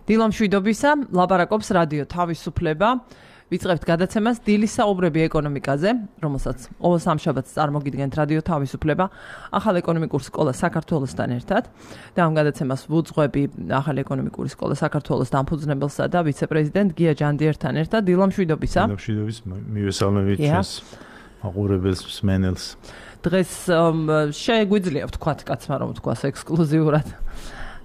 დილა მშვიდობისა, ლაპარაკობს რადიო თავისუფლება. ვიწყებთ გადაცემას დილის საუბრები ეკონომიკაზე, რომელსაც ყოველ სამშაბათს წარმოგიდგენთ რადიო თავისუფლება, ახალ ეკონომიკური სკოლა საქართველოსთან ერთად. და ამ გადაცემას ვუძღვები ახალ ეკონომიკური სკოლა საქართველოს დამფუძნებელსა და ვიცე-პრეზიდენტ გია ჯანდიერთან ერთად. დილა მშვიდობისა. დილა მშვიდობის, მივესალმებით ჩვენს მაყურებელს, მსმენელს. დღეს შეგვიძლია ვთქვათ კაცმა რომ ვთქვას ექსკლუზიურად.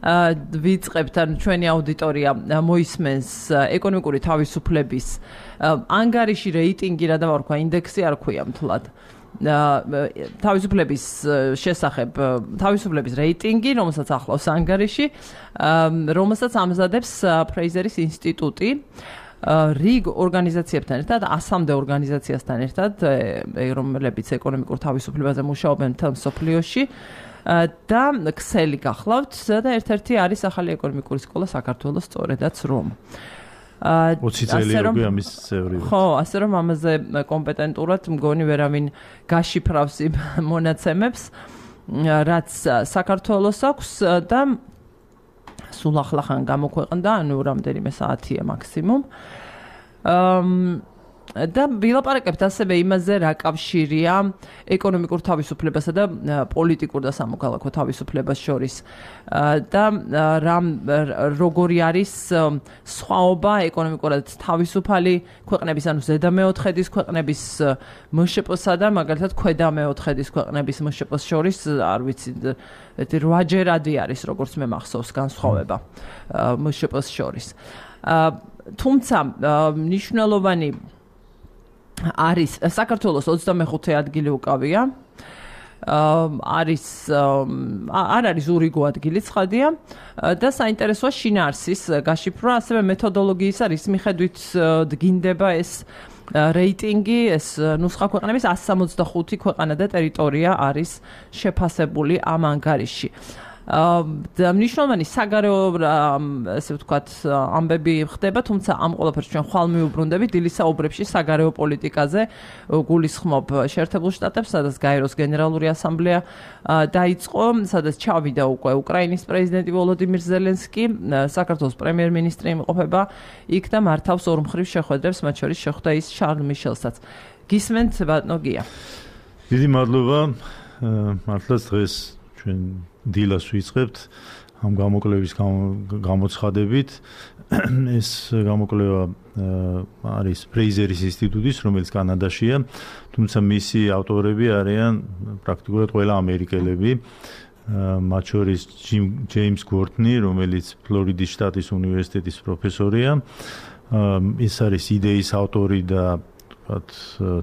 ვიწყებთ ან ჩვენი აუდიტორია მოისმენს ეკონომიკური თავისუფლების ანგარიში რეიტინგი რა დავარქვა ინდექსი არ ქვია მთლად თავისუფლების შესახებ თავისუფლების რეიტინგი რომელსაც ახლავს ანგარიში რომელსაც ამზადებს ფრეიზერის ინსტიტუტი რიგ ორგანიზაციებთან ერთად 100-მდე ორგანიზაციასთან ერთად რომლებიც ეკონომიკურ თავისუფლებაზე მუშაობენ მთელ მსოფლიოში და ქსელი გახლავთ და ერთ-ერთი არის ახალი ეკონომიკური სკოლა საქართველოს სწორედაც რომ 20 წელი უკვე ამის წევრი ვარ. ხო, ასე რომ ამაზე კომპეტენტურად მგონი ვერავინ გაშიფრავს იმ მონაცემებს რაც საქართველოს აქვს და სულ ახლახან გამოქვეყნდა, ანუ რამდენიმე საათია მაქსიმუმ. და ვილაპარაკებთ ასევე იმაზე რა კავშირია ეკონომიკურ თავისუფლებასა და პოლიტიკურ და სამოქალაქო თავისუფლებას შორის და როგორი არის სხვაობა ეკონომიკურად თავისუფალი ქვეყნების ანუ ზედა მეოთხედის ქვეყნების მშპ-სა და მაგალითად ქვედა მეოთხედის ქვეყნების მშპ-ს შორის არ ვიცი 8-ჯერადი არის როგორც მე მახსოვს განსხვავება მშპ-ს შორის თუმცა მნიშვნელოვანი არის საქართველოს 25 ადგილი უკავია არის არ არის ურიგო ადგილი ცხადია და საინტერესოა შინაარსის გაშიფრვა ასევე მეთოდოლოგიის არის მიხედვით დგინდება ეს რეიტინგი ეს ნუსხა ქვეყნების 165 ქვეყანა და ტერიტორია არის შეფასებული ამ ანგარიში და მნიშვნელოვანი საგარეო ესე ვთქვათ ამბები ხდება თუმცა ამ ყველაფერს ჩვენ ხვალ მიუბრუნდებით დილის საუბრებში საგარეო პოლიტიკაზე გულისხმობ შეერთებულ შტატებს სადაც გაეროს გენერალური ასამბლეა დაიწყო სადაც ჩავიდა უკვე უკრაინის პრეზიდენტი ვოლოდიმირ ზელენსკი საქართველოს პრემიერ-მინისტრი იმყოფება იქ და მართავს ორმხრივ შეხვედრებს მათ შორის შეხვდა ის შარლ მიშელსაც გისმენთ ბატონო გია დიდი მადლობა მართლაც დღეს ჩვენ დილას ვიწყებთ ამ გამოკვლევის გამოცხადებით ეს გამოკვლევა არის ფრეიზერის ინსტიტუტის რომელიც კანადაშია თუმცა მისი ავტორები არიან პრაქტიკულად ყველა ამერიკელები მათ შორის ჯეიმს გორდნი რომელიც ფლორიდის შტატის უნივერსიტეტის პროფესორია ის არის იდეის ავტორი და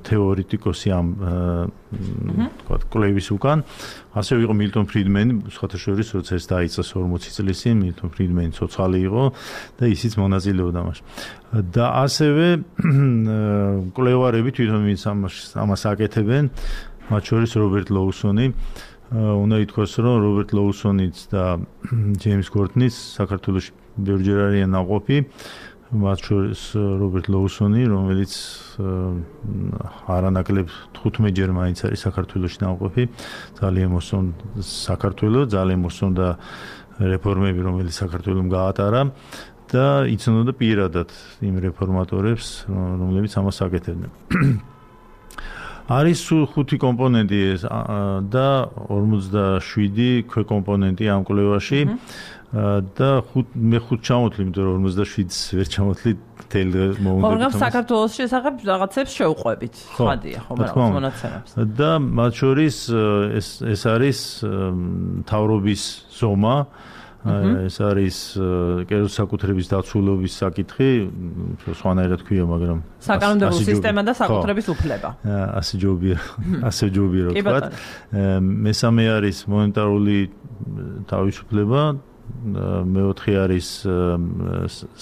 თეორეტიკოსი ამ კვლევის უკან ასევე იყო მილტონ ფრიდმენი სხვათა შორის როცა ეს დაიწყეს 40 წლის წინ მილტონ ფრიდმენი ცოცხალი იყო და ისიც მონაწილეობდა მასში და ასევე კვლევარები თვითონ ვინც ამას აკეთებენ მათ შორის რობერტ ლოუსონი უნდა ითქვას რომ რობერტ ლოუსონიც და ჯეიმს გორდნის საქართველოში ბევრჯერ არიან ნაყოფი მათ შორის რობერტ ლოუსონი, რომელიც არანაკლებ 15-ჯერ მაინც არის საქართველოში ნაყოფი, ძალიან მოსწონდა საქართველოს, ძალიან მოსწონდა რეფორმები, რომელიც საქართველოს გაატარა და იცნობდა პირადად იმ რეფორმატორებს, რომლებიც ამას აკეთებდნენ. არის 5 კომპონენტი და 47 ქვეკომპონენტი ამ კვლევაში. და მე 5 ჩამოთვლი, იმიტომ რომ 47-ს ვერ ჩამოთვლი თელ მომენტში. მაგრამ საქართველოს შესახებ რაღაცებს შევყვებით. ხადია, ხო, მაგრამ მონაცემებს. და მათ შორის ეს არის მთავრობის ზომა, ეს არის კერძო საკუთრების დაცულობის საკითხი, სხვანაირად ქვია, მაგრამ საკანონმდებლო სისტემა და საკუთრების უფლება. ასე ჯობია, ვთქვათ. მესამე არის მონეტარული თავისუფლება მეოთხე არის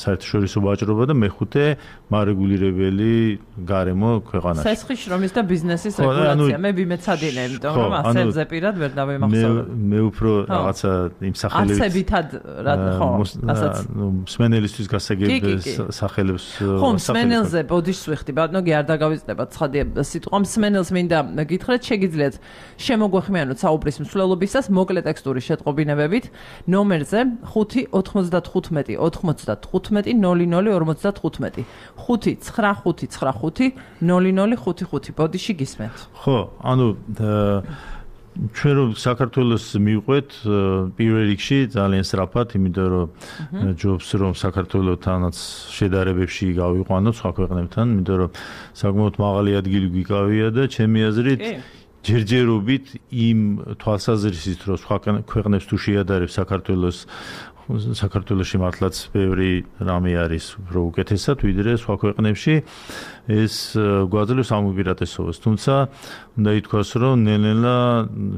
საერთაშორისო ვაჭრობა და მეხუთე მარეგულირებელი გარემო ქვეყანაში. ცეცხლის შრომის და ბიზნესის რეგულაცია. მე ბიმეცადინე, იმიტომ რომ ასებზე პირად ვერ დავემახსოვრე. მე უფრო რაღაცა იმ სახელებს არსებითად ხო, ასაც მსმენელისთვის გასაგებ სახელებს ხო, მსმენელზე ბოდიშს ვიხდი, ბატონო კი არ დაგავიწყდებათ ცხადია სიტყვა მსმენელს მინდა გითხრათ, შეგიძლიათ შემოგვეხმიანოთ საუბრის მსვლელობისას მოკლე ტექსტური შეტყობინებებით ნომერზე ნომერზე 5-95-95-00-55. 5-955-00-55. ბოდიში გისმენთ. ხო, ანუ ჩვენ რომ საქართველოს მივყვეთ პირველ რიგში ძალიან სწრაფად, იმიტომ რომ ჯობს რომ საქართველოსთანაც შედარებებში გავიყვანოთ სხვა ქვეყნებთან, იმიტომ რომ საკმაოდ მაღალი ადგილი გვიკავია და ჩემი აზრით ჯერჯერობით იმ თვალსაზრისით რომ სხვა ქვეყნებს თუ შეადარებს საქართველოში მართლაც ბევრი რამე არის უფრო უკეთესად ვიდრე სხვა ქვეყნებში ეს გვაძლევს ამ უპირატესობას. თუმცა უნდა ითქვას რომ ნელ-ნელა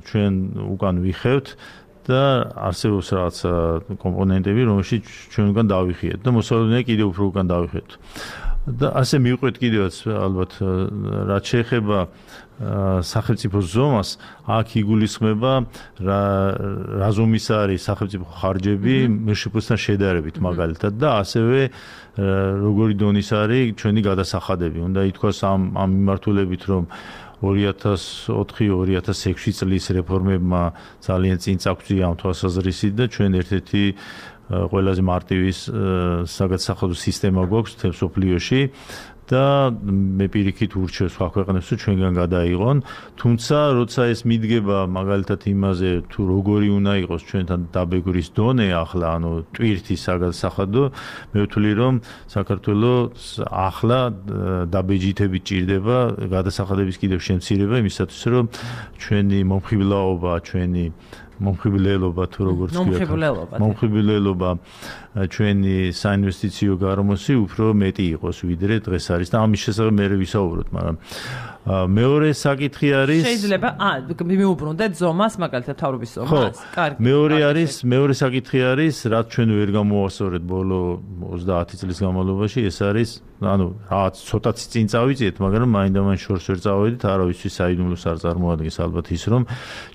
ჩვენ უკან ვიხევთ და არსებობს რაღაცა კომპონენტები რომელშიც ჩვენ უკან დავიხიეთ და მოსავლენია კიდევ უფრო უკან დავიხიეთ. და ასე მივყვეთ კიდევაც ალბათ რაც შეეხება სახელმწიფო ზომას აქ იგულისხმება რა ზომის არის სახელმწიფო ხარჯები მშპ-სთან შედარებით მაგალითად და ასევე როგორი დონის არის ჩვენი გადასახადები. უნდა ითქვას ამ მიმართულებით რომ 2004-2006 წლის რეფორმებმა ძალიან წინ წაგწია ამ თვალსაზრისით და ჩვენ ერთ-ერთი ყველაზე მარტივი საგადასახადო სისტემა გვაქვს მთელ მსოფლიოში და მე პირიქით ურჩევ სხვა ქვეყნებს რომ ჩვენგან გადაიღონ. თუმცა როცა ეს მიდგება მაგალითად იმაზე თუ როგორი უნდა იყოს ჩვენთან დაბეგვრის დონე ახლა ანუ ტვირთის საგადასახადო მე ვთვლი რომ საქართველოს ახლა დაბეჯითებით ჭირდება გადასახადების კიდევ შემცირება იმისათვის რომ ჩვენი მომხიბლაობა ჩვენი მომხიბლელობა თუ როგორც ქვია მომხიბლელობა ჩვენი საინვესტიციო გარემოსი უფრო მეტი იყოს ვიდრე დღეს არის და ამის შესახებ მე ვისაუბროთ, მაგრამ მეორე საკითხი არის შეიძლება მიუბრუნდეთ ზომას მაგალითად თავრობის ზომას. კარგი. მეორე საკითხი არის რაც ჩვენ ვერ გამოვასწორეთ ბოლო 30 წლის განმავლობაში ეს არის ანუ რაღაც ცოტათი წინ წავიწიეთ, მაგრამ მაინდა-მაინც შორს ვერ წავედით, არავისთვის საიდუმლოს არ წარმოადგენს ალბათ ის რომ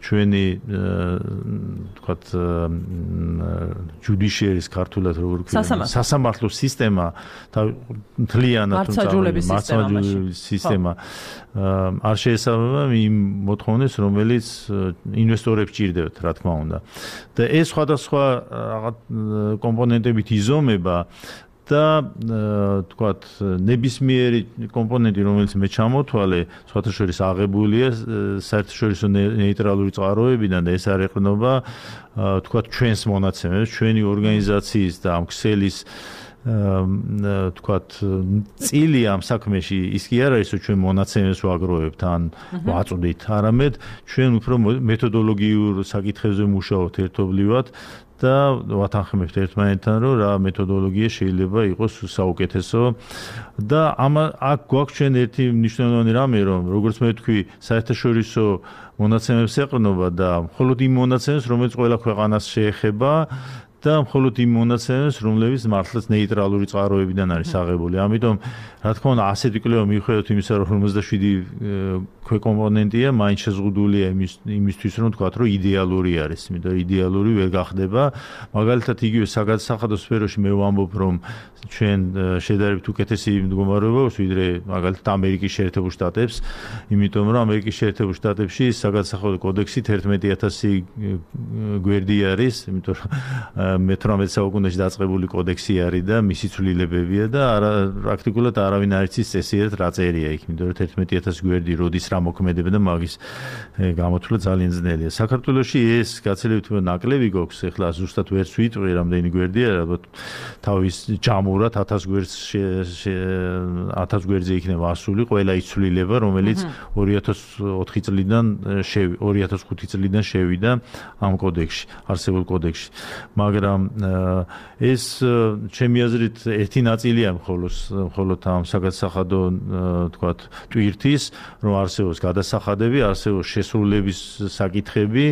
ჩვენი თქვათ ჯუდიშიერის ქართულად როგორ ქვია სასამართლო სისტემა მთლიანად მართლმსაჯულების სისტემა არ შეესაბამება იმ მოთხოვნებს რომელიც ინვესტორებს ჭირდებათ რა თქმა უნდა და ეს სხვადასხვა კომპონენტებით იზომება და თქვათ ნებისმიერი კომპონენტი რომელიც მე ჩამოთვალე სხვათა შორის აღებულია საერთაშორისო ნეიტრალური წყაროებიდან და ეს არ ეყრდნობა თქვათ ჩვენს მონაცემებს ჩვენი ორგანიზაციის და ამ ქსელის თქვათ წილი ამ საქმეში ის კი არ არის რომ ჩვენ მონაცემებს ვაგროვებთ ან ვაწვდით არამედ ჩვენ უფრო მეთოდოლოგიურ საკითხებზე მუშაობთ ერთობლივად და ვათანხმებთ ერთმანეთთან რომ რა მეთოდოლოგია შეიძლება იყოს საუკეთესო და აქ გვაქვს ჩვენ ერთი მნიშვნელოვანი რამე რომ როგორც მე ვთქვი საერთაშორისო მონაცემებს ეყრდნობა და მხოლოდ იმ მონაცემებს რომელიც ყველა ქვეყანას შეეხება და მხოლოდ იმ მონაცემებს რომლებიც მართლაც ნეიტრალური წყაროებიდან არის აღებული. ამიტომ რა თქმა უნდა ასეთი კვლევა მიუხედავად იმისა რომ 57 ქვეკომპონენტია მაინც შეზღუდულია იმისთვის რომ თქვათ რომ იდეალური არის, იმიტომ რომ იდეალური ვერ გახდება. მაგალითად იგივე საგადასახადო სფეროში მე ვამბობ რომ ჩვენ შედარებით უკეთესი მდგომარეობა აქვს ვიდრე მაგალითად ამერიკის შეერთებულ შტატებს, იმიტომ რომ ამერიკის შეერთებულ შტატებში საგადასახადო კოდექსი 11000 გვერდი არის, იმიტომ რომ მე-18 საუკუნეში დაწყებული კოდექსი არის და მისი ცვლილებებია და პრაქტიკულად არავინ არ იცის წესიერ რა წერია იქ, იმიტომ რომ 11000 გვერდი როდის რა მოქმედება და მაგის გამოთვლა ძალიან ძნელია. საქართველოში ეს გაცილებით ნაკლები გვაქვს, ეხლა ზუსტად ვერც ვიტყვი რამდენი გვერდია, ალბათ თავის ჯამურად 1000 გვერდზე იქნება ასული ყველა ის ცვლილება, რომელიც 2004 წლიდან 2005 წლიდან შევიდა ამ კოდექსში, არსებულ კოდექსში. მაგრამ ეს ჩემი აზრით ერთი ნაწილია მხოლოდ ამ საგადასახადო თქვათ ტვირთის რომ არსებობს გადასახადები, არსებობს შესრულების საკითხები,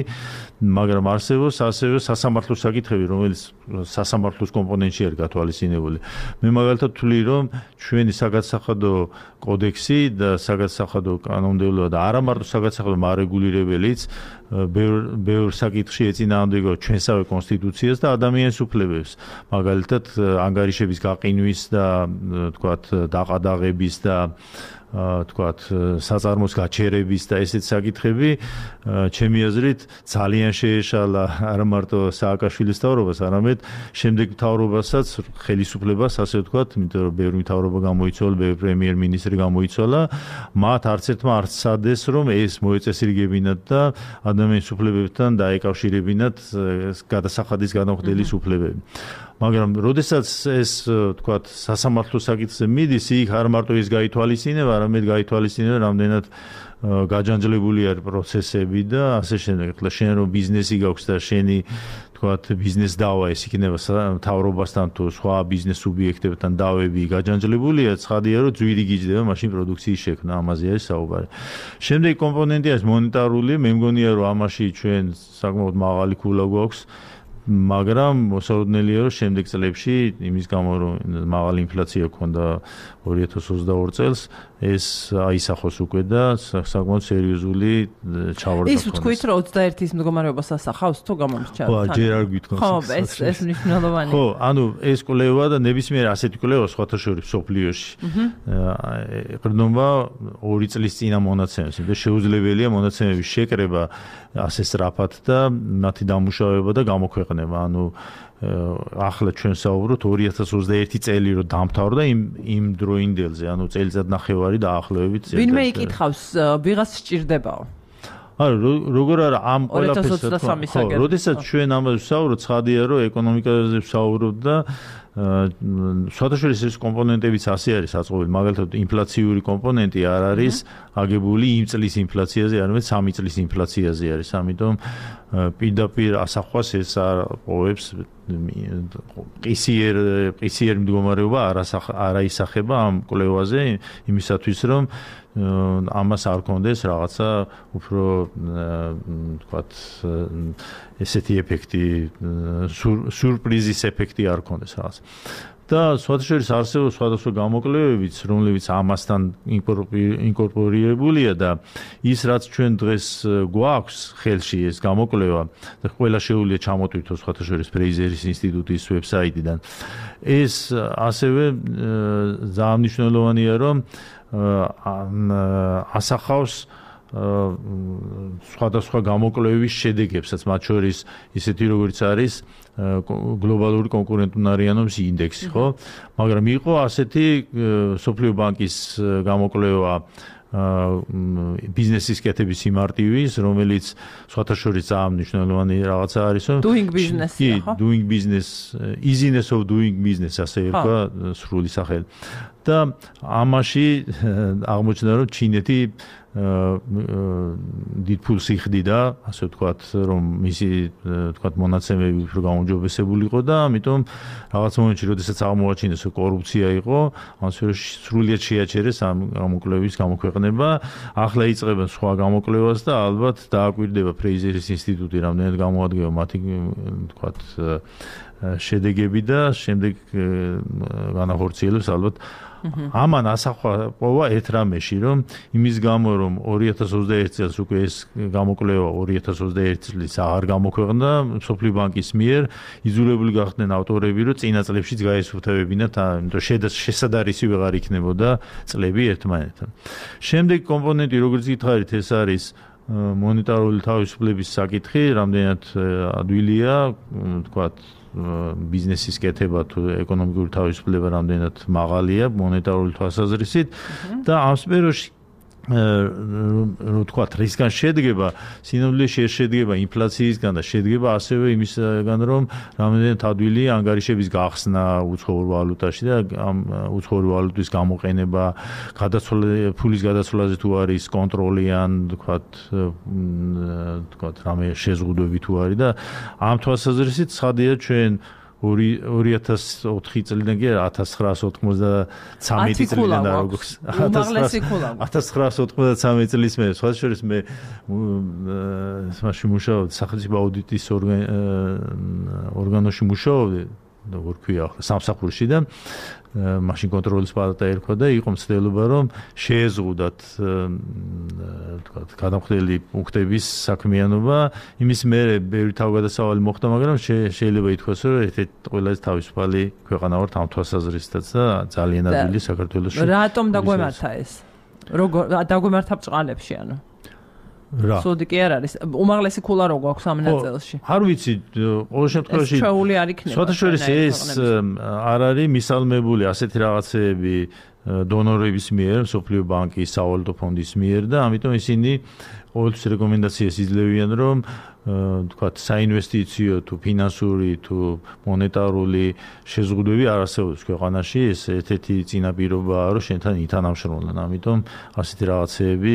მაგრამ არსებობს ასევე სასამართლო საკითხები, რომელიც სასამართლოს კომპონენტში არის გათვალისწინებული. მე მაგალითად ვთვლი, რომ ჩვენი საგადასახადო კოდექსი და საგადასახადო კანონმდებლობა და არა მარტო საგადასახადო მარეგულირებელიც ბევრ საკითხში ეწინააღმდეგება ჩვენსავე კონსტიტუციას და ადამიანის უფლებებს. მაგალითად ანგარიშების გაყინვის და თქვათ დაყადაღების და თქვათ საწარმოს გაჩერების და ესეთ საკითხები ჩემი აზრით ძალიან შეეშალა არა მარტო სააკაშვილის მთავრობას, არამედ შემდეგ მთავრობასაც ხელისუფლებას, ასე ვთქვათ, იმიტომ რომ ბევრი მთავრობა გამოიცვალა, ბევრი პრემიერ-მინისტრი გამოიცვალა, მათ არც ერთმა არ სცადეს, რომ ეს მოეწესრიგებინათ და ადამიანის უფლებებთან დაეკავშირებინათ გადასახადის გადამხდელის უფლებები. მაგრამ როდესაც ეს თქვათ სასამართლო საკითხზე მიდის, იქ არ მარტო ის გაითვალისწინება, არამედ გაითვალისწინება რამდენად გაჯანჯლებული არის პროცესები და ასე შემდეგ. ახლა შენ რომ ბიზნესი გაქვს და შენი თქვათ ბიზნეს დავა ეს იქნება მთავრობასთან თუ სხვა ბიზნეს სუბიექტებთან დავები გაჯანჯლებულია, ცხადია რომ ძვირი გიждდება მაშინ პროდუქციის შექმნა, ამაზე არის საუბარი. შემდეგი კომპონენტი არის მონეტარული, მე მგონია რომ ამაში ჩვენ საკმაოდ მაღალი ქულა გვაქვს. მაგრამ მოსაოდნელია რომ შემდეგ წლებში იმის გამო რომ მაღალი ინფლაცია ქონდა 2022 წელს ეს აისახოს უკვე და საკმაოდ სერიოზული ჩავარდა ის თქვით რომ 21-ის მდგომარეობას ასახავს თუ გამომრჩა ხო ჯერ არ გვითხოვს ხო ეს მნიშვნელოვანია ხო ანუ ეს კვლევა და ნებისმიერ ასეთი კვლევა სხვათა შორის სოფლიოში ეყრდნობა 2 წლის წინა მონაცემებს და შეუძლებელია მონაცემების შეკრება ასე სწრაფად და მათი დამუშავება და გამოქვეყნება ანუ ახლა ჩვენ საუბრობთ 2021 წელი რომ დამთავრდა იმ დროინდელზე, ანუ წელიწად ნახევარი დაახლოებით. ვინმე იკითხავს, ვიღაც სჭირდებაო. არა, როგორ არა ამ ყველაფერს ხო, როდესაც ჩვენ ამაზე ვსაუბრობთ, ცხადია რომ ეკონომიკაზე ვსაუბრობთ და სხვადასხვა კომპონენტებიც ასე არის საწყობილი, მაგალითად ინფლაციური კომპონენტი არ არის აგებული იმ წლის ინფლაციაზე, არამედ 3 წლის ინფლაციაზე არის, ამიტომ პირდაპირ ასახვას ეს არ ყოფს ყისიერ მდგომარეობა არ აისახება ამ კვლევაზე იმისათვის რომ ამას არ კონდეს რაღაცა უფრო თქვათ ესეთი ეფექტი სურპრიზის ეფექტი არ კონდეს რაღაც და სხვადასხვა არსებობს სხვადასხვა გამოკვლევებიც რომლებიც ამასთან ინკორპორირებულია და ის რაც ჩვენ დღეს გვაქვს ხელში ეს გამოკვლევა და ყველა შეუძლია ჩამოტვირთოს სხვადასხვა ფრეიზერის ინსტიტუტის ვებსაიტიდან ეს ასევე ძალიან მნიშვნელოვანია რომ ასახავს სხვადასხვა გამოკვლევის შედეგებსაც მათ შორის ისეთი როგორც არის გლობალური კონკურენტუნარიანობის ინდექსი ხო მაგრამ იყო ასეთი სოფლიო ბანკის გამოკვლევა ბიზნესის კეთების იმარტივის რომელიც სხვათა შორის ძალიან მნიშვნელოვანი რაღაცა არის რომ doing business ხო doing business easiness of doing business ასე ერქვა სრული სახელი და ამაში აღმოჩნდა რომ ჩინეთი დიდ ფულს იხდიდა, ასე ვთქვათ, რომ მისი ვთქვათ მონაცემები უფრო გაუმჯობესებული იყო და ამიტომ რაღაც მომენტში, როდესაც აღმოაჩინეს, რომ კორუფცია იყო, ამ სფეროში სრულიად შეაჩერეს ამ გამოკვლევის გამოქვეყნება. ახლა იწყებენ სხვა გამოკვლევას და ალბათ დააკვირდება ფრეიზერის ინსტიტუტი, რამდენად გამოადგება მათი ვთქვათ შედეგები და შემდეგ განახორციელებს ალბათ ამან ასახვა პოვა ერთ რამეში რომ იმის გამო რომ 2021 წელს უკვე ეს გამოკვლევა 2021 წლის აღარ გამოქვეყნდა სოფლიო ბანკის მიერ იძულებული გახდნენ ავტორები რომ წინა წლებშიც გაესუფთავებინათ იმიტომ შესაძარისი ვეღარ იქნებოდა წლები ერთმანეთთან შემდეგ კომპონენტი როგორც გითხარით ეს არის მონეტარული თავისუფლების საკითხი რამდენად ადვილია თქვათ ბიზნესის კეთება თუ ეკონომიკური თავისუფლება რამდენად მაღალია მონეტარული თვალსაზრისით და ამ სფეროში ვთქვათ რისგან შედგება სინამდვილეში შედგება ინფლაციისგან და შედგება ასევე იმისგან რომ რამდენად ადვილია ანგარიშების გახსნა უცხოურ ვალუტაში და ამ უცხოური ვალუტის გამოყენება ფულის გადაცვლაზე თუ არის კონტროლი ან ვთქვათ რამე შეზღუდვები თუ არის და ამ თვალსაზრისით ცხადია ჩვენ 2004 წლიდან კი 1993 წლიდან და როგორც 1993 წლის მე სხვა შორის მე მაშინ მუშაობდი სახელმწიფო აუდიტის ორგანოში მუშაობდი როგორ ქვია სამსახურში და მაშინ კონტროლის პალატა ერქვა და იყო მცდელობა რომ შეეზღუდათ თქვათ გადამხდელი პუნქტების საქმიანობა იმის მერე ბევრი თავგადასავალი მოხდა მაგრამ შეიძლება ითქვას რომ ერთ-ერთი ყველაზე თავისუფალი ქვეყანა ვართ ამ თვალსაზრისითაც და ძალიან ადვილი საქართველოში რატომ დაგვემართა ეს როგორ დაგვემართა ბჭყალებში ანუ რა სუდი კი არ არის უმაღლესი ქულა რო გვაქვს ამ ნაწილში არ ვიცი ყოველ შემთხვევაში ჩვეული არ იქნება სხვათაშორის ეს არ არის მისალმებული ასეთი რაღაცეები დონორების მიერ, სოფლიო ბანკის, სავალუტო ფონდის მიერ და ამიტომ ისინი ყოველთვის რეკომენდაციას იძლევიან, რომ თქვათ საინვესტიციო თუ ფინანსური თუ მონეტარული შეზღუდვები არ არსებობს ქვეყანაში, ეს ერთ-ერთი წინაპირობაა, რომ შენთან ითანამშრომლონ. ამიტომ ასეთი რაღაცეები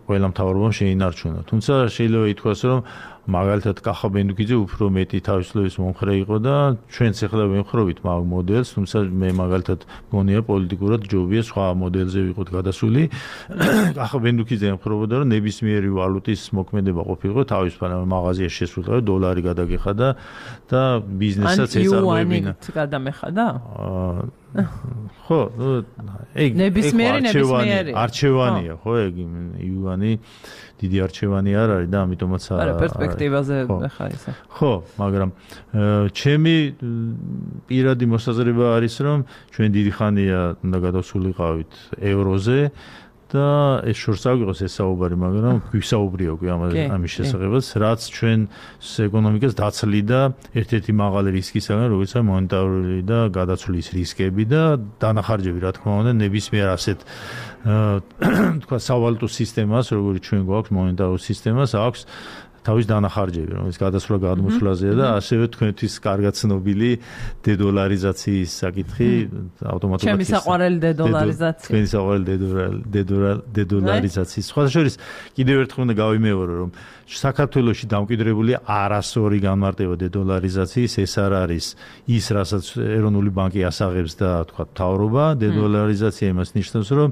ყველა მთავრობამ შეინარჩუნა. თუმცა შეიძლება ითქვას, რომ მაგალითად კახა ბენდუკიძე უფრო მეტი თავისუფლების მომხრე იყო და ჩვენც ახლა ვემხრობით მაგ მოდელს, თუმცა მე მაგალითად მგონია პოლიტიკურად ჯობია სხვა მოდელზე ვიყოთ გადასული. კახა ბენდუკიძე ემხრობოდა, რომ ნებისმიერი ვალუტის მოქმედება ყოფილიყო თავისუფალ მაღაზიაში შესულიყო დოლარი გადაგეხადა და ბიზნესაც ეწარმოებინა. ან გადამეხადა? ხო, ეგ ნებისმიერი არჩევანია, ხო, ეგ იუანი დიდი არჩევანი არ არის და ამიტომაც არა პერსპექტივაზე ხა ისე. ხო, მაგრამ ჩემი პირადი მოსაზრება არის, რომ ჩვენ დიდი ხანია უნდა გადავსულიყავით ევროზე და ეს შორს აგვიღოს ეს საუბარი, მაგრამ გვისაუბრია უკვე ამის შესახებაც, რაც ჩვენ ეკონომიკას დაცლიდა ერთ-ერთი მაღალი რისკისაგან, როგორიცაა მონეტარული და გადაცვლის რისკები და დანახარჯები, რა თქმა უნდა, ნებისმიერ ასეთ თქვა სავალუტო სისტემას, როგორც ჩვენ გვაქვს მონეტარულ სისტემას, აქვს თავის დანახარჯები, რომელიც გადასვლა გადმოსვლაზეა და ასევე თქვენთვის კარგად ცნობილი დედოლარიზაციის საკითხი ავტომატურად ჩემი საყვარელი დედოლარიზაცია. თქვენი საყვარელი დედოლარიზაციის. სხვადასხვა კიდევ ერთხელ უნდა გავიმეორო, რომ საქართველოში დამკვიდრებული არასორი განმარტება დედოლარიზაციის, ეს არ არის ის, რასაც ეროვნული ბანკი ასაღებს და თქვა მთავრობა. დედოლარიზაცია იმას ნიშნავს, რომ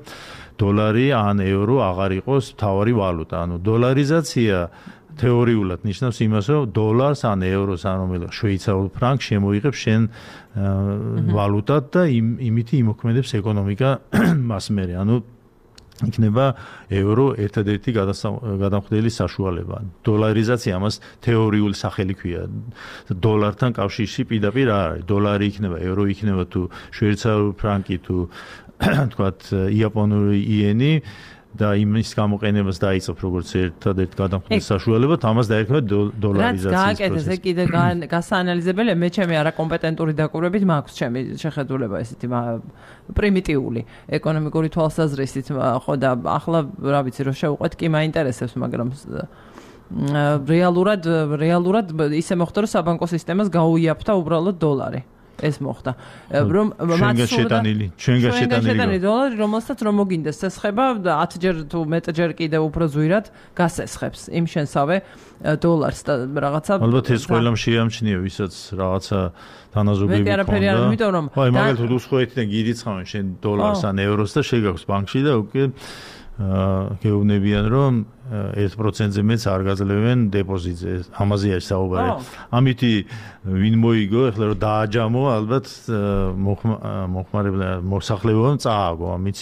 დოლარი ან ევრო აღარ იყოს მთავარი ვალუტა. ანუ დოლარიზაცია თეორიულად ნიშნავს იმას, რომ დოლარს ან ევროს ან რომელიღაც შვეიცარიულ ფრანკს შემოიღებს შენ ვალუტად და იმითი იმოქმედებს ეკონომიკა მას მერე. ანუ იქნება ევრო ერთადერთი გადამხდელი საშუალება. დოლარიზაცია ამას თეორიული სახელი ქვია. დოლართან კავშირში პირდაპირ არ არის. დოლარი იქნება, ევრო იქნება თუ შვეიცარიული ფრანკი თუ თქვათ იაპონური იენი და იმის გამოყენებას დაიწყებ როგორც ერთადერთ გადამხდელ საშუალებად, ამას დაერქვა დოლარიზაციის პროცესი. რაც გააკეთეს, ეგ კიდე გასაანალიზებელია, მე ჩემი არაკომპეტენტური დაკვირვებით მაქვს ჩემი შეხედულება ესეთი პრიმიტიული ეკონომიკური თვალსაზრისით, ხო და ახლა რა ვიცი რომ შევყვეთ კი მაინტერესებს, მაგრამ რეალურად ისე მოხდა რომ საბანკო სისტემას გაუიაფთა უბრალოდ დოლარი. ეს მოხდა. რომ ჩვენ გაშეტანილი დოლარი, რომელსაც რომ მოგინდეს ესხება 10ჯერ თუ მეტჯერ კიდე უფრო ზვირად გასესხებს იმ შენსავე დოლარს და რაღაცა. ალბათ ეს ყველამ შეამჩნია, ვისაც რაღაცა თანაზოგები მე არაფერი არ იმიტომ რომ აი მაგალითად უსხოეთიდან გირიცხავენ შენ დოლარს ან ევროს და შეგაქვს ბანკში და უკვე გეუბნებიან რომ 1%-ზე მეც არ გაძლევენ დეპოზიტზე. ამაზეა საუბარი. ამითი ვინ მოიგო, ეხლა რომ დააჯამო, ალბათ მოხმარებლა მოსახლებამ წააგო, ამით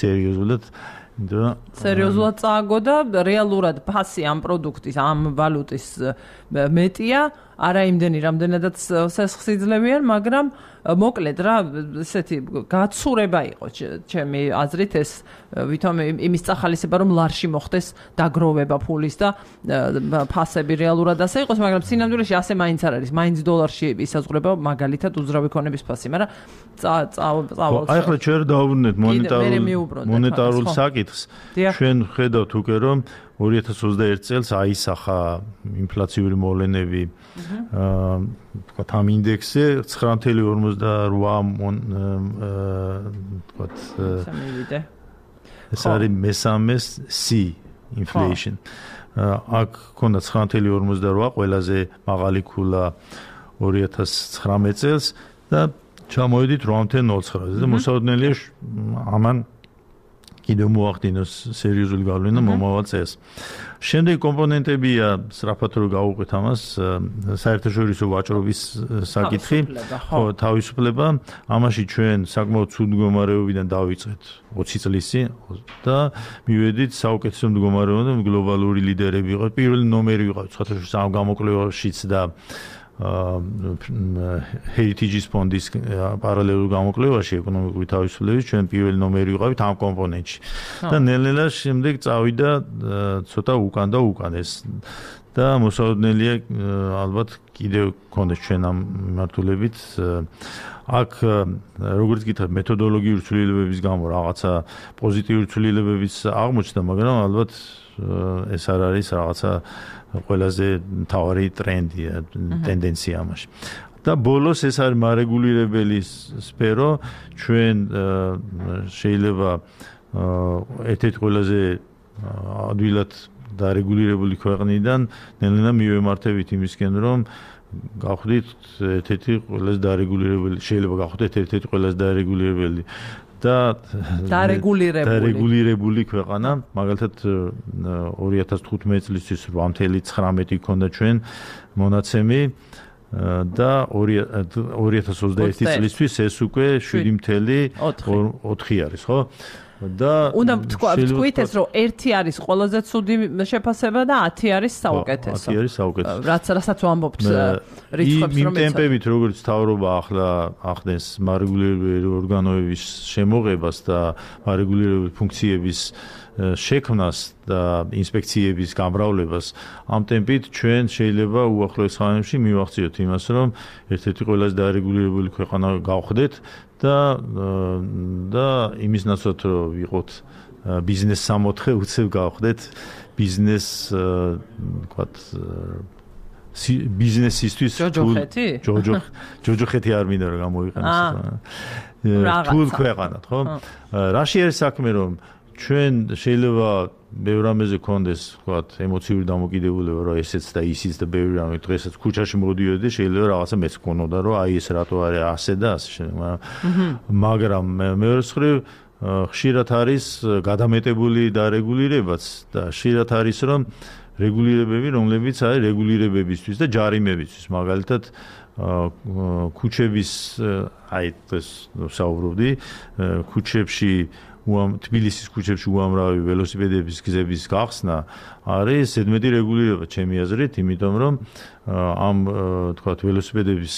სერიოზულად წააგო და რეალურად ფასი ამ პროდუქტის, ამ ვალუტის მეტია, არა იმდენი, რამდენადაც სესხს იძლევიან, მაგრამ მოკლედ რა, ესეთი გაცურება იყო ჩემი აზრით ეს ვითომ იმის წახალისება რომ ლარში მოხდეს დაგროვება ფულის და ფასები რეალურად ასე იყოს, მაგრამ სინამდვილეში ასე მაინც არ არის. მაინც დოლარში ისაზღვრება მაგალითად უძრავი ქონების ფასი, მაგრამ წავალ. აი ახლა ჩვენ დავუბრუნდეთ მონეტარულ საკითხს. ჩვენ ხედავთ უკვე რომ 2021 წელს აისახა ინფლაციური მოვლენები თქვათ ამ ინდექსზე 9.50 ეს არის მესამე C inflation. აქ ქონდა 9.48 ყველაზე მაღალი ქულა 2019 წელს და ჩამოვედით 8.09-ზე და მოსაოდნელია ამან კიდევ მოახდინოს სერიოზული გავლენა მომავალ წელს. Შემდეგი კომპონენტებია სწრაფად რო გავუყვეთ ამას, საერთაშორისო ვაჭრობის საკითხი, ხო, თავისუფლება. ამაში ჩვენ საკმაოდ ცუდ მდგომარეობიდან დავიწყეთ 20 წლის წინ და მივედით საუკეთესო მდგომარეობამდე, გლობალური ლიდერები ვიყავით, პირველი ნომერი ვიყავით საერთაშორისო ამ გამოკვლევაშიც და Heritage-ის ფონდის პარალელურ გამოკვლევაში ეკონომიკური თავისუფლების ჩვენ პირველი ნომერი ვიყავით ამ კომპონენტში. და ნელ-ნელა შემდეგ წავიდა ცოტა უკან და უკან ეს და მოსაოდნელია ალბათ კიდევ გქონდეს ჩვენ ამ მიმართულებით აქ როგორც გითხრათ მეთოდოლოგიური ცვლილებების გამო რაღაცა პოზიტიური ცვლილებებიც აღმოჩნდა, მაგრამ ალბათ ეს არ არის რაღაცა ყველაზე მთავარი ტრენდი, ტენდენცია ამაში. და ბოლოს ეს არის მარეგულირებელი სფერო, ჩვენ შეიძლება ერთ-ერთი ყველაზე ადვილად დარეგულირებული ქვეყნიდან ნელ-ნელა მივემართებით იმისკენ, რომ გავხდით ერთ-ერთი ყველაზე დარეგულირებელი, შეიძლება გავხდეთ ერთ-ერთი ყველაზე დარეგულირებელი და დარეგულირებული ქვეყანა, მაგალითად 2015 წლისთვის 8.19 ქონდა ჩვენ მონაცემი და 2021 წლისთვის ეს უკვე 7.4 არის, ხო? და უნდა თქვით ეს რომ 1 არის ყველაზე ცუდი შეფასება და 10 არის საუკეთესო. 10 არის საუკეთესო. რასაც ვამბობთ რიცხვებს რომ იმ ტემპებით როგორც თავრობა ახლა ახდენს მარეგულირებელი ორგანოების შემოღებას და მარეგულირებელი ფუნქციების შექმნას და ინსპექციების გამრავლებას ამ ტემპით ჩვენ შეიძლება უახლოეს ხანებში მივახციოთ იმას რომ ერთ-ერთი ყველაზე დარეგულირებული ქვეყანა გავხდეთ და იმის ნაცვლად რომ ვიყოთ ბიზნეს 64 უცებ გავხდეთ ბიზნეს ვთქვათ ბიზნესისთვის ჯოჯოხეთი არ მინდა რომ გამოვიყენოს თულ ქვეყანად ხო რაში არის საქმე რომ ჩვენ შეიძლება ბევრ რამეზე გქონდეს ვთქვათ ემოციური დამოკიდებულება რომ ესეც და ისიც და ბევრი რამე დღესაც ქუჩაში მოდიოდი შეიძლება რაღაცა მეც გქონოდა რომ აი ეს რატო არის ასე და ასე მაგრამ მეორე მხრივ ხშირად არის გადამეტებული დარეგულირებაც და ხშირად არის რომ რეგულირებები რომლებიც არის რეგულირებებისთვის და ჯარიმებისთვის მაგალითად ქუჩების აი ეს საუბრობდი ქუჩებში თბილისის ქუჩებში უამრავი ველოსიპედების გზების გახსნა არის ზედმეტი რეგულირება ჩემი აზრით, იმიტომ რომ ამ თქვათ ველოსიპედების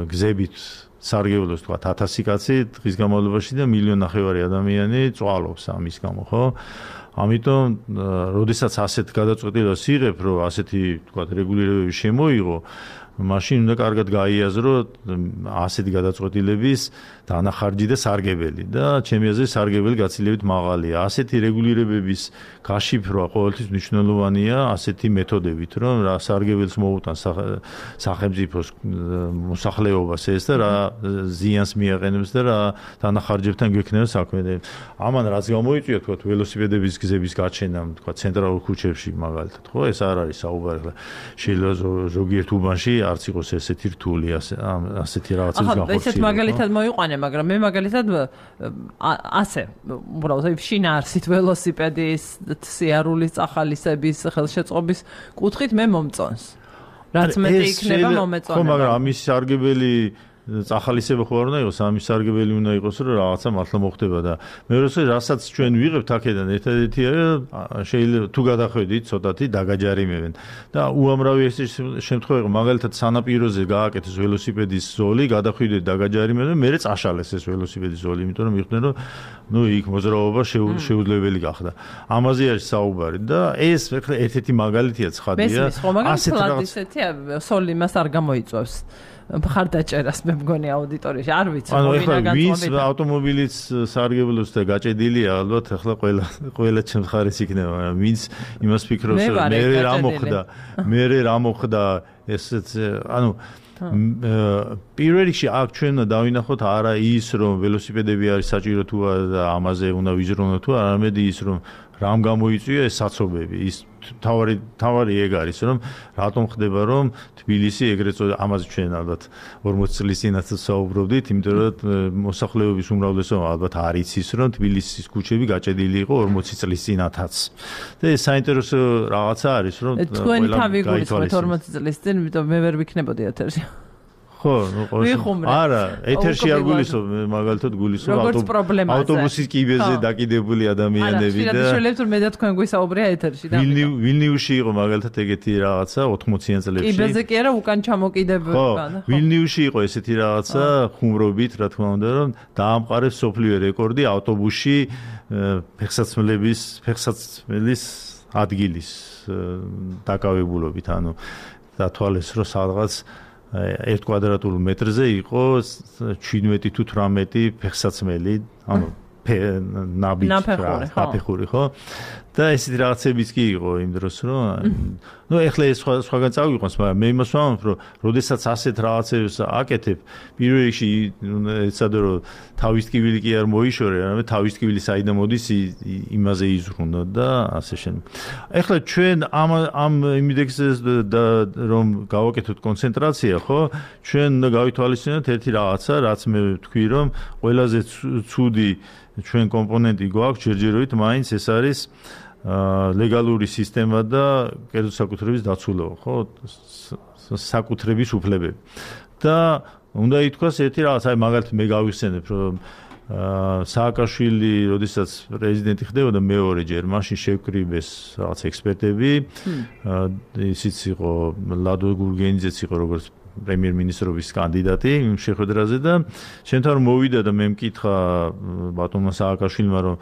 გზებით სარგებლობს თქვათ 1000 კაცი დღის განმავლობაში და 1.5 მილიონი ადამიანი წვალობს ამის გამო, ხო? ამიტომ, როდესაც ასეთ გადაწყვეტილებას იღებ, რომ ასეთი თქვათ რეგულირებები შემოიღო, მაშინ უნდა კარგად გაიაზრო ასეთი გადაწყვეტილების დანახარჯი და სარგებელი და ჩემი აზრით სარგებელი გაცილებით მაღალია. ასეთი რეგულირებების გაშიფრვა ყოველთვის მნიშვნელოვანია ასეთი მეთოდებით, რომ რა სარგებელს მოუტანს სახელმწიფოს მოსახლეობას ეს და რა ზიანს მიაყენებს და რა დანახარჯებთან გვექნება საქმე. ამან რაც გამოიწვია თქვა ველოსიპედების გზების გაჩენა თქვა ცენტრალურ ქუჩებში მაგალითად, ხო? ეს არ არის საუბარი. შეიძლება ზოგიერთ უბანში არც იყოს ესეთი რთული ასეთი რაღაცების განხორციელება. ახლა ესეთ მაგალითად მოიყვანე, მაგრამ მე მაგალითად ასე უბრალოდ შინაარსით ველოსიპედის სიარულის წახალისების ხელშეწყობის კუთხით მე მომწონს. რაც მეტი იქნება მომეწონება. ხო, მაგრამ ამის სარგებელი წახალისება ხო არ უნდა იყოს, ამის სარგებელი უნდა იყოს, რომ რაღაცა მართლა მოხდება და მეორე რასაც ჩვენ ვიღებთ აქედან ერთადერთი არის შეიძლება თუ გადახვედით ცოტათი დაგაჯარიმებენ და უამრავი ეს შემთხვევა მაგალითად სანაპიროზე გააკეთეს ველოსიპედის ზოლი, გადახვიდეთ დაგაჯარიმებენ, მერე წაშალეს ეს ველოსიპედის ზოლი, იმიტომ რომ მიხვდნენ რომ იქ მოძრაობა შეუძლებელი გახდა. ამაზე არის საუბარი და ეს ერთ-ერთი მაგალითია ცხადია. ასეთ რაღაცა სოლი მას არ გამოიწვევს. მხარდაჭერას მე მგონი აუდიტორიაში არ ვიცი ვინც ავტომობილიც სარგებლობს და გაჭედილია ალბათ ახლა ყველა ჩემს ხარეს იქნება ვინც იმას ფიქრობს რომ მე რა მოხდა ესეც ანუ პირველ რიგში აქ ჩვენ დავინახოთ არა ის რომ ველოსიპედები არის საჭირო თუ არა და ამაზე უნდა ვიზრუნოთ თუ არა არამედ ის რომ რამ გამოიწვია ეს საცობები ის თავარი ეგ არის რომ რატომ ხდება რომ თბილისი ეგრეთ წოდებული ამაზე ჩვენ ალბათ 40 წლის წინაც საუბრობდით იმიტომ რომ მოსახლეობის უმრავლესობა ალბათ არ იცის რომ თბილისის ქუჩები გაჭედილი იყო 40 წლის წინათაც და ეს საინტერესო რაღაცა არის რომ თქვენი თავი გულისხმობთ 40 წლის წინ იმიტომ მე ვერ ვიქნებოდი ეთერში ხო, არა, ეთერში არ გულისხმობ, მაგალითად გულისხმობ ავტობუსის კიბეზე დაკიდებული ადამიანები და შეიძლება თუ მე და თქვენ გვისაუბრია ეთერში და ვილნიუსში იყო მაგალითად ეგეთი რაღაცა 80-იან წლებში. კიბეზე კი არა, უკან ჩამოკიდებული განა. ხო, ვილნიუსში იყო ესეთი რაღაცა ხუმრობით, რა თქმა უნდა, რომ დაამყარეს სოფლიო რეკორდი ავტობუსში ფეხსაცმელის ადგილის დაკავებულობით, ანუ დათვალეს რომ სადღაც 1 კვადრატულ მეტრზე იყო 17 თუ 18 ფეხსაცმელი, ანუ ნაფეხური, ხო? და ესეთი რაღაცებიც კი იყო იმ დროს, რომ ნუ ეხლა ეს სხვაგან წავიყვანს, მაგრამ მე იმას ვამბობ, რომ როდესაც ასეთ რაღაცებს აკეთებ, პირველ რიგში ეცადე რომ თავის ტკივილი კი არ მოიშორე, არამედ თავის ტკივილი საიდან მოდის, იმაზე იზრუნო და ასე შემდეგ. ეხლა ჩვენ ამ იმიდექსზე რომ გავაკეთოთ კონცენტრაცია, ხო? ჩვენ უნდა გავითვალისწინოთ ერთი რაღაცა, რაც მე ვთქვი, რომ ყველაზე ცუდი ჩვენ კომპონენტი გვაქვს ჯერჯერობით, მაინც ეს არის ლეგალური სისტემა და კერძო საკუთრების დაცულობა, ხო? საკუთრების უფლებები. და უნდა ითქვას ერთი რაღაც, აი მაგალითად მე გავიხსენებ, რომ სააკაშვილი, როდესაც პრეზიდენტი ხდებოდა მეორეჯერ, მაშინ შევკრიბეს რაღაც ექსპერტები, ისიც იყო ლადო გურგენიძეც იყო როგორც პრემიერ-მინისტრობის კანდიდატი იმ შეხვედრაზე და შემთხვევით რომ მოვიდა და მე მკითხა ბატონმა სააკაშვილმა რომ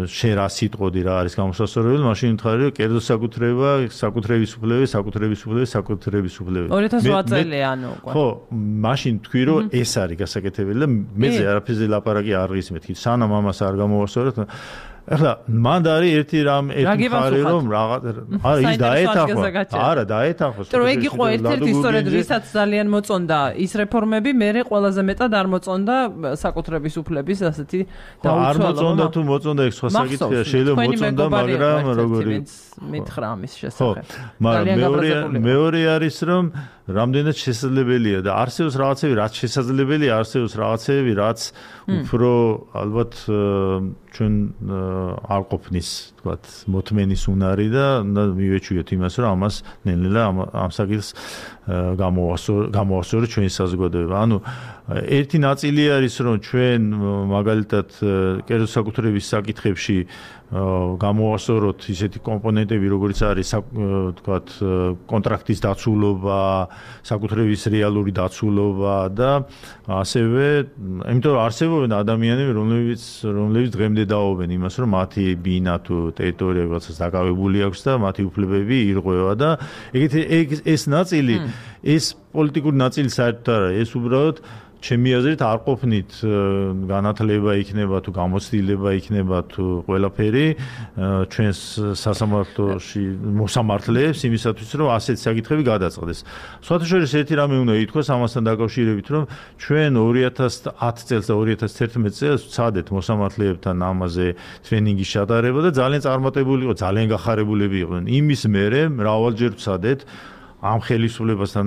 შენ რა სიტყოდი რა არის გამოსასწორებელი, მაშინ მითხარი რომ კერძო საკუთრების უფლები. 2008 წელი ანუ ხო, მაშინ თქვი რომ ეს არის გასაკეთებელი და მეზე არაფერზე ლაპარაკი არ ღისმეთ. სანამ ამას არ გამოვასწორეთ ეხლა მანდ არის ერთი მხარე რომ არა ის დაეთანხმოს. თუ ეგ იყო ერთ-ერთი სწორედ რისაც ძალიან მოწონდა ის რეფორმები, მერე ყველაზე მეტად არ მოწონდა საკუთრების უფლების ასეთი დაუცველობა. არ მოწონდა თუ მოწონდა ეგ სხვა საკითხია, შეიძლება მოწონდა, მაგრამ როგორი მითხრა ამის შესახებ. მაგრამ მეორე არის რომ რამდენად შესაძლებელია და არსებობს რაღაცები, რაც შესაძლებელია, არსებობს რაღაცები, რაც უფრო ალბათ ჩვენ არ ყოფნის, თქვათ, მოთმენის უნარი და მივეჩვიოთ იმას, რომ ამას ნელ-ნელა ამ საკითხს გამოვასწოროთ ჩვენი საზოგადოება. ანუ ერთი ნაწილი არის, რომ ჩვენ მაგალითად კერძო საკუთრების საკითხებში გამოვასწოროთ ისეთი კომპონენტები, როგორც არის, თქვათ, კონტრაქტის დაცულობა, საკუთრების რეალური დაცულობა და ასევე, იმიტომ რომ არსებობენ ადამიანები, რომლებიც დღემდე დაობენ იმას, რომ მათი ბინა თუ ტერიტორია რაღაცას დაკავებული აქვს და მათი უფლებები ირღვევა და ეს ნაწილი, ეს პოლიტიკური ნაწილი საერთოდ არა, ეს უბრალოდ ჩემი აზრით არ ყოფნით განათლება იქნება თუ გამოცდილება იქნება თუ ყველაფერი ჩვენს სასამართლოში მოსამართლეებს იმისათვის რომ ასეთი საკითხები გადაწყდეს. სხვათა შორის ერთი რამე უნდა ითქვას ამასთან დაკავშირებით, რომ ჩვენ 2010 წელს და 2011 წელს ვცადეთ მოსამართლეებთან ამაზე ტრენინგის ჩატარება და ძალიან წარმატებული იყო, ძალიან გახარებულები იყვნენ. იმის მერე მრავალჯერ ვცადეთ ამ ხელისუფლებასთან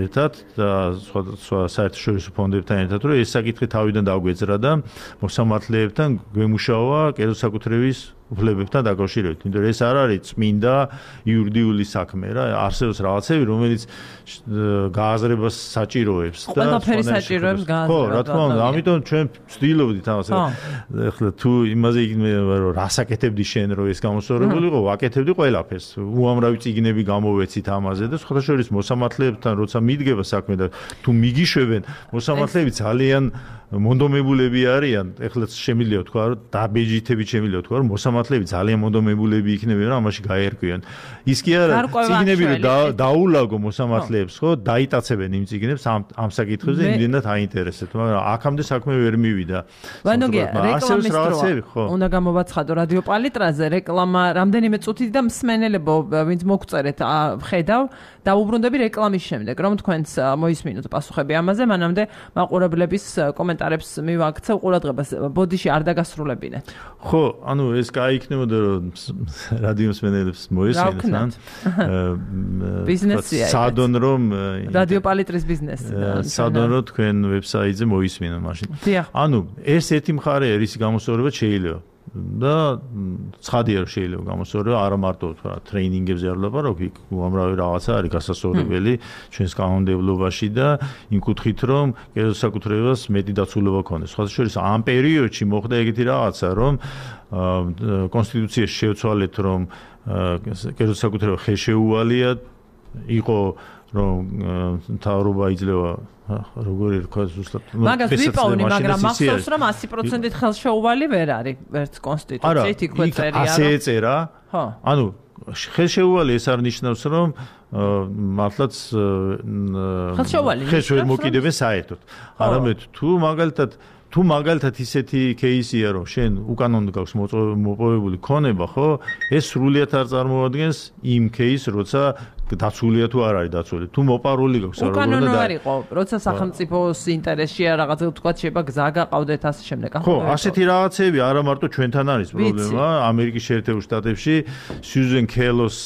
ერთად და სხვა საერთაშორისო ფონდებთან ერთად, რომ ეს საკითხი თავიდან დაგვეძრა და მოსამართლეებთან გვემუშავა კერძო საკუთრების უფლებებთან დაკავშირებით. იმიტომ რომ ეს არ არის წმინდა იურიდიული საქმე რა, არსებობს რაღაცები, რომელიც გააზრებას საჭიროებს და ყველაფერი საჭიროებს გააზრება. ხო, რა თქმა უნდა, ამიტომ ჩვენ ვცდილობდით ამას. ეხლა თუ იმაზე იქნება რომ რასაკეთებდი შენ რომ ეს გამოსწორებული იყო, ვაკეთებდი ყველაფერს. უამრავი წიგნები გამოვეცით ამაზე და სხვათა შორის მოსამართლეებთან როცა მიდგება საქმე და თუ მიგიშვებენ, მოსამართლეები ძალიან მონდომებულები არიან. ეხლა შემიძლია თქვა რომ დაბეჯითებით შემიძლია თქვა რომ მოსამართლეები ძალიან მონდომებულები იქნებიან რომ ამაში გაერკვიან. ის კი არა წიგნები რომ დაულაგო მოსამართლეებს, ხო, დაიტაცებენ იმ წიგნებს ამ საკითხებზე იმდენად აინტერესებთ, მაგრამ აქამდე საქმე ვერ მივიდა. ვანოგია, რეკლამის დრო უნდა გამოვაცხადო რადიო პალიტრაზე, რეკლამა რამდენიმე წუთით და მსმენელებო, ვინც მოგწერეთ, ხედავ, დაუბრუნდები რეკლამის შემდეგ, რომ თქვენს მოისმინოთ პასუხები ამაზე, მანამდე მაყურებლების კომენტარებს მივაქცევ ყურადღებას. ბოდიში არ დაგასრულებინეთ. ხო, ანუ ეს კაი იქნებოდა რომ რადიო მსმენელებს მოესმინათ. ბიზნესია. სადონ რომ რადიო პალიტრის ბიზნესი. სადონ რომ თქვენ ვებსაიტზე მოისმინოთ მაშინ. ანუ ეს ერთი მხარე არის გამოსწორება შეიძლება. და ცხადია რომ შეიძლება გამოსწორება არა მარტო ტრეინინგებზე არ ვლაპარაკობ, იქ უამრავი რაღაცა არის გასასწორებელი ჩვენს კანონმდებლობაში და იმ კუთხით რომ კერძოსაკუთრებას მეტი დაცულობა ქონდეს. სხვა შორის ამ პერიოდში მოხდა ეგეთი რაღაცა რომ კონსტიტუციაში შევცვალეთ რომ კერძოსაკუთრება ხელშეუვალია იყო რომ მთავრობა იძლევა როგორი რქვა ზუსტად მაგას ვიპოვნი, მაგრამ მახსოვს რომ 100%-ით ხელშეუვალი ვერ არის ვერც კონსტიტუციით იქვე წერია. ასე ეწერა. ხო. ანუ ხელშეუვალი ეს არ ნიშნავს რომ მართლაც ხელშეუვალი ხელს ვერ მოკიდებენ საერთოდ. არამედ თუ მაგალითად ისეთი кейსია რომ შენ უკანონოდ გაქვს მოპოვებული ქონება, ხო? ეს სრულიად არ წარმოადგენს იმ кейსს, როცა დაცულია თუ არ არის დაცული. თუ მოპარული გაქვს როგორ უნდა უკანონო არ იყო, როცა სახელმწიფოს ინტერესშია რაღაცა თქვა შეიძლება გზა გაყავდეთ ასე შემდეგ. ხო, ასეთი რაღაცები არა მარტო ჩვენთან არის პრობლემა. ამერიკის შეერთებულ შტატებში სიუზენ კელოს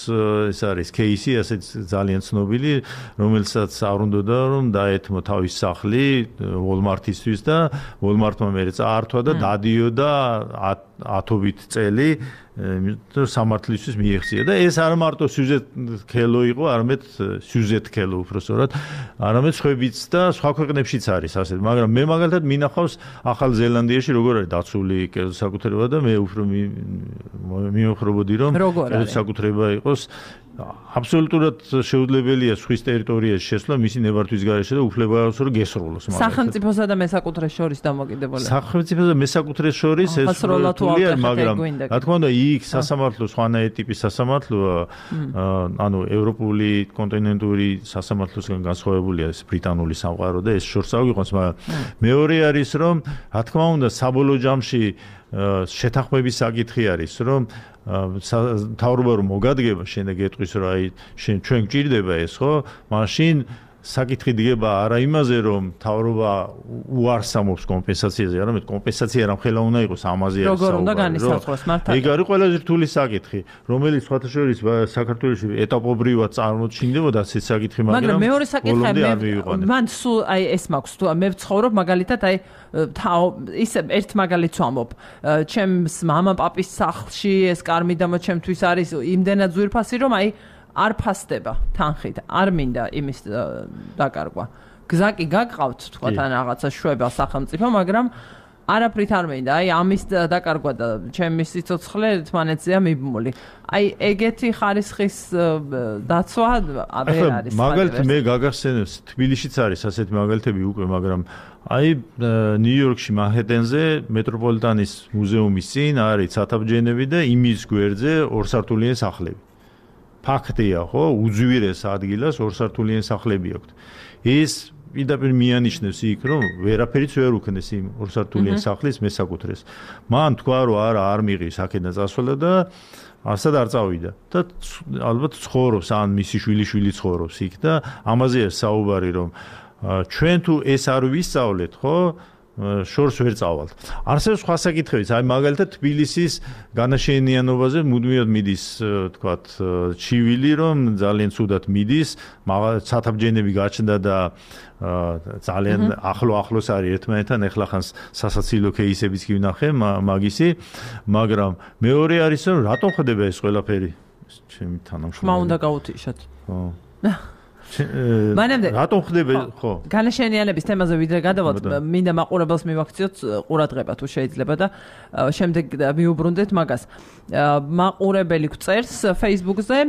ეს არის кейსი, ასეთ ძალიან ცნობილი, რომელსაც არ უნდოდა რომ დაეთმო თავის სახლი Walmart-ისთვის და Walmart-მა მე წაართვა და დადიოდა 10-ობით წელი სამართლისთვის მიეღწია და ეს არ მარტო სიუზეთ კელო იყო, არამედ სიუზეთ კელო უბრალოდ, არამედ სხვებიც და სხვა ქვეყნებშიც არის ასე. მაგრამ მე მაგალითად მინახავს ახალ ზელანდიაში როგორ არის დაცული კერძოსაკუთრება და მე უფრო მიმოხრობოდი რომ კერძოსაკუთრება იყოს აბსოლუტურად შეუძლებელია სხვის ტერიტორიაში შესვლა მისი ნებართვის გარეშე და უფლება აქვს რომ გესროლოს მაგალითად. სახელმწიფოსა და მესაკუთრეს შორის დამოკიდებულია. სახელმწიფოსა და მესაკუთრეს შორის ეს სრულად, მაგრამ რა თქმა უნდა იქ სასამართლო სხვანაირი ტიპის სასამართლოა, ანუ ევროპული კონტინენტური სასამართლოსგან განსხვავებულია ეს ბრიტანული სამყარო და ეს შორს აღვიყვანს, მაგრამ მეორე არის რომ რა თქმა უნდა საბოლოო ჯამში შეთანხმების საკითხი არის რომ მთავრობა რომ მოგადგება შენ და გეტყვის რომ აი შენ ჩვენ გჭირდება ეს ხო მაშინ საკითხი დგება არა იმაზე რომ მთავრობა უარს ამობს კომპენსაციაზე არამედ კომპენსაცია რამხელა უნდა იყოს ამაზე არის როგორ უნდა განისაზღვროს მართლა ეგ არის ყველაზე რთული საკითხი რომელიც სხვათა შორის საქართველოში ეტაპობრივად წარმოჩინდებოდა ეს საკითხი მაგრამ მეორე საკითხი მან სულ აი ეს მაქვს თუ მე ვცხოვრობ მაგალითად აი ისე ერთ მაგალითს ვამბობ ჩემს მამაპაპის სახლში ეს კარმიდამო ჩემთვის არის იმდენად ძვირფასი რომ აი არ ფასდება თანხით, არ მინდა იმის დაკარგვა. გზა კი გაგყავთ, თქვა თან რაღაცა შვება სახელმწიფო, მაგრამ არაფრით არ მინდა. აი ამის დაკარგვა და ჩემი სიცოცხლე ერთმანეთზეა მიბმული. აი ეგეთი ხარისხის დაცვა ვერ არის. მაგალითად მე გაგახსენებს თბილისშიც არის ასეთი მაგალითები უკვე, მაგრამ აი ნიუ-იორკში მანჰეტენზე მეტროპოლიტანის მუზეუმის წინ არის ცათაბჯენები და იმის გვერდზე ორსართულიანი სახლები. ფაქტია, ხო, უძვირეს ადგილას ორსართულიანი სახლები აქვს. ეს პირდაპირ მიანიშნებს იქ, რომ ვერაფერიც ვერ უქნეს იმ ორსართულიანი სახლის მესაკუთრეს. მან თქვა, რომ არ მიღის აქედან წასვლა და ასად არ წავიდა. და ალბათ ცხოვრობს, ან მისი შვილი ცხოვრობს იქ და ამაზე არის საუბარი, რომ ჩვენ თუ ეს არ ვისწავლეთ, ხო? შორს ვერ წავალთ. არსებობს სხვა საკითხებიც, აი მაგალითად თბილისის განაშენიანობაზე მუდმივად მიდის, თქვათ, ჩივილი, რომ ძალიან ცუდად მიდის, ცათაბჯენები გაჩნდა და ძალიან ახლოს არის ერთმანეთთან, ეხლა ხან სასაცილო кейსებიც კი ვნახე მაგისი, მაგრამ მეორე არის რომ რატომ ხდება ეს ყველაფერი? ჩემი თანამშრომელი. ხმა უნდა გაუთიშოთ. ხო. მანამდე რატომ ხდება ხო განაშენიანების თემაზე ვიდრე გადავალთ მინდა მაყურებელს მივაქციოთ ყურადღება თუ შეიძლება და შემდეგ მიუბრუნდეთ მაგას მაყურებელი გწერს Facebook-ზე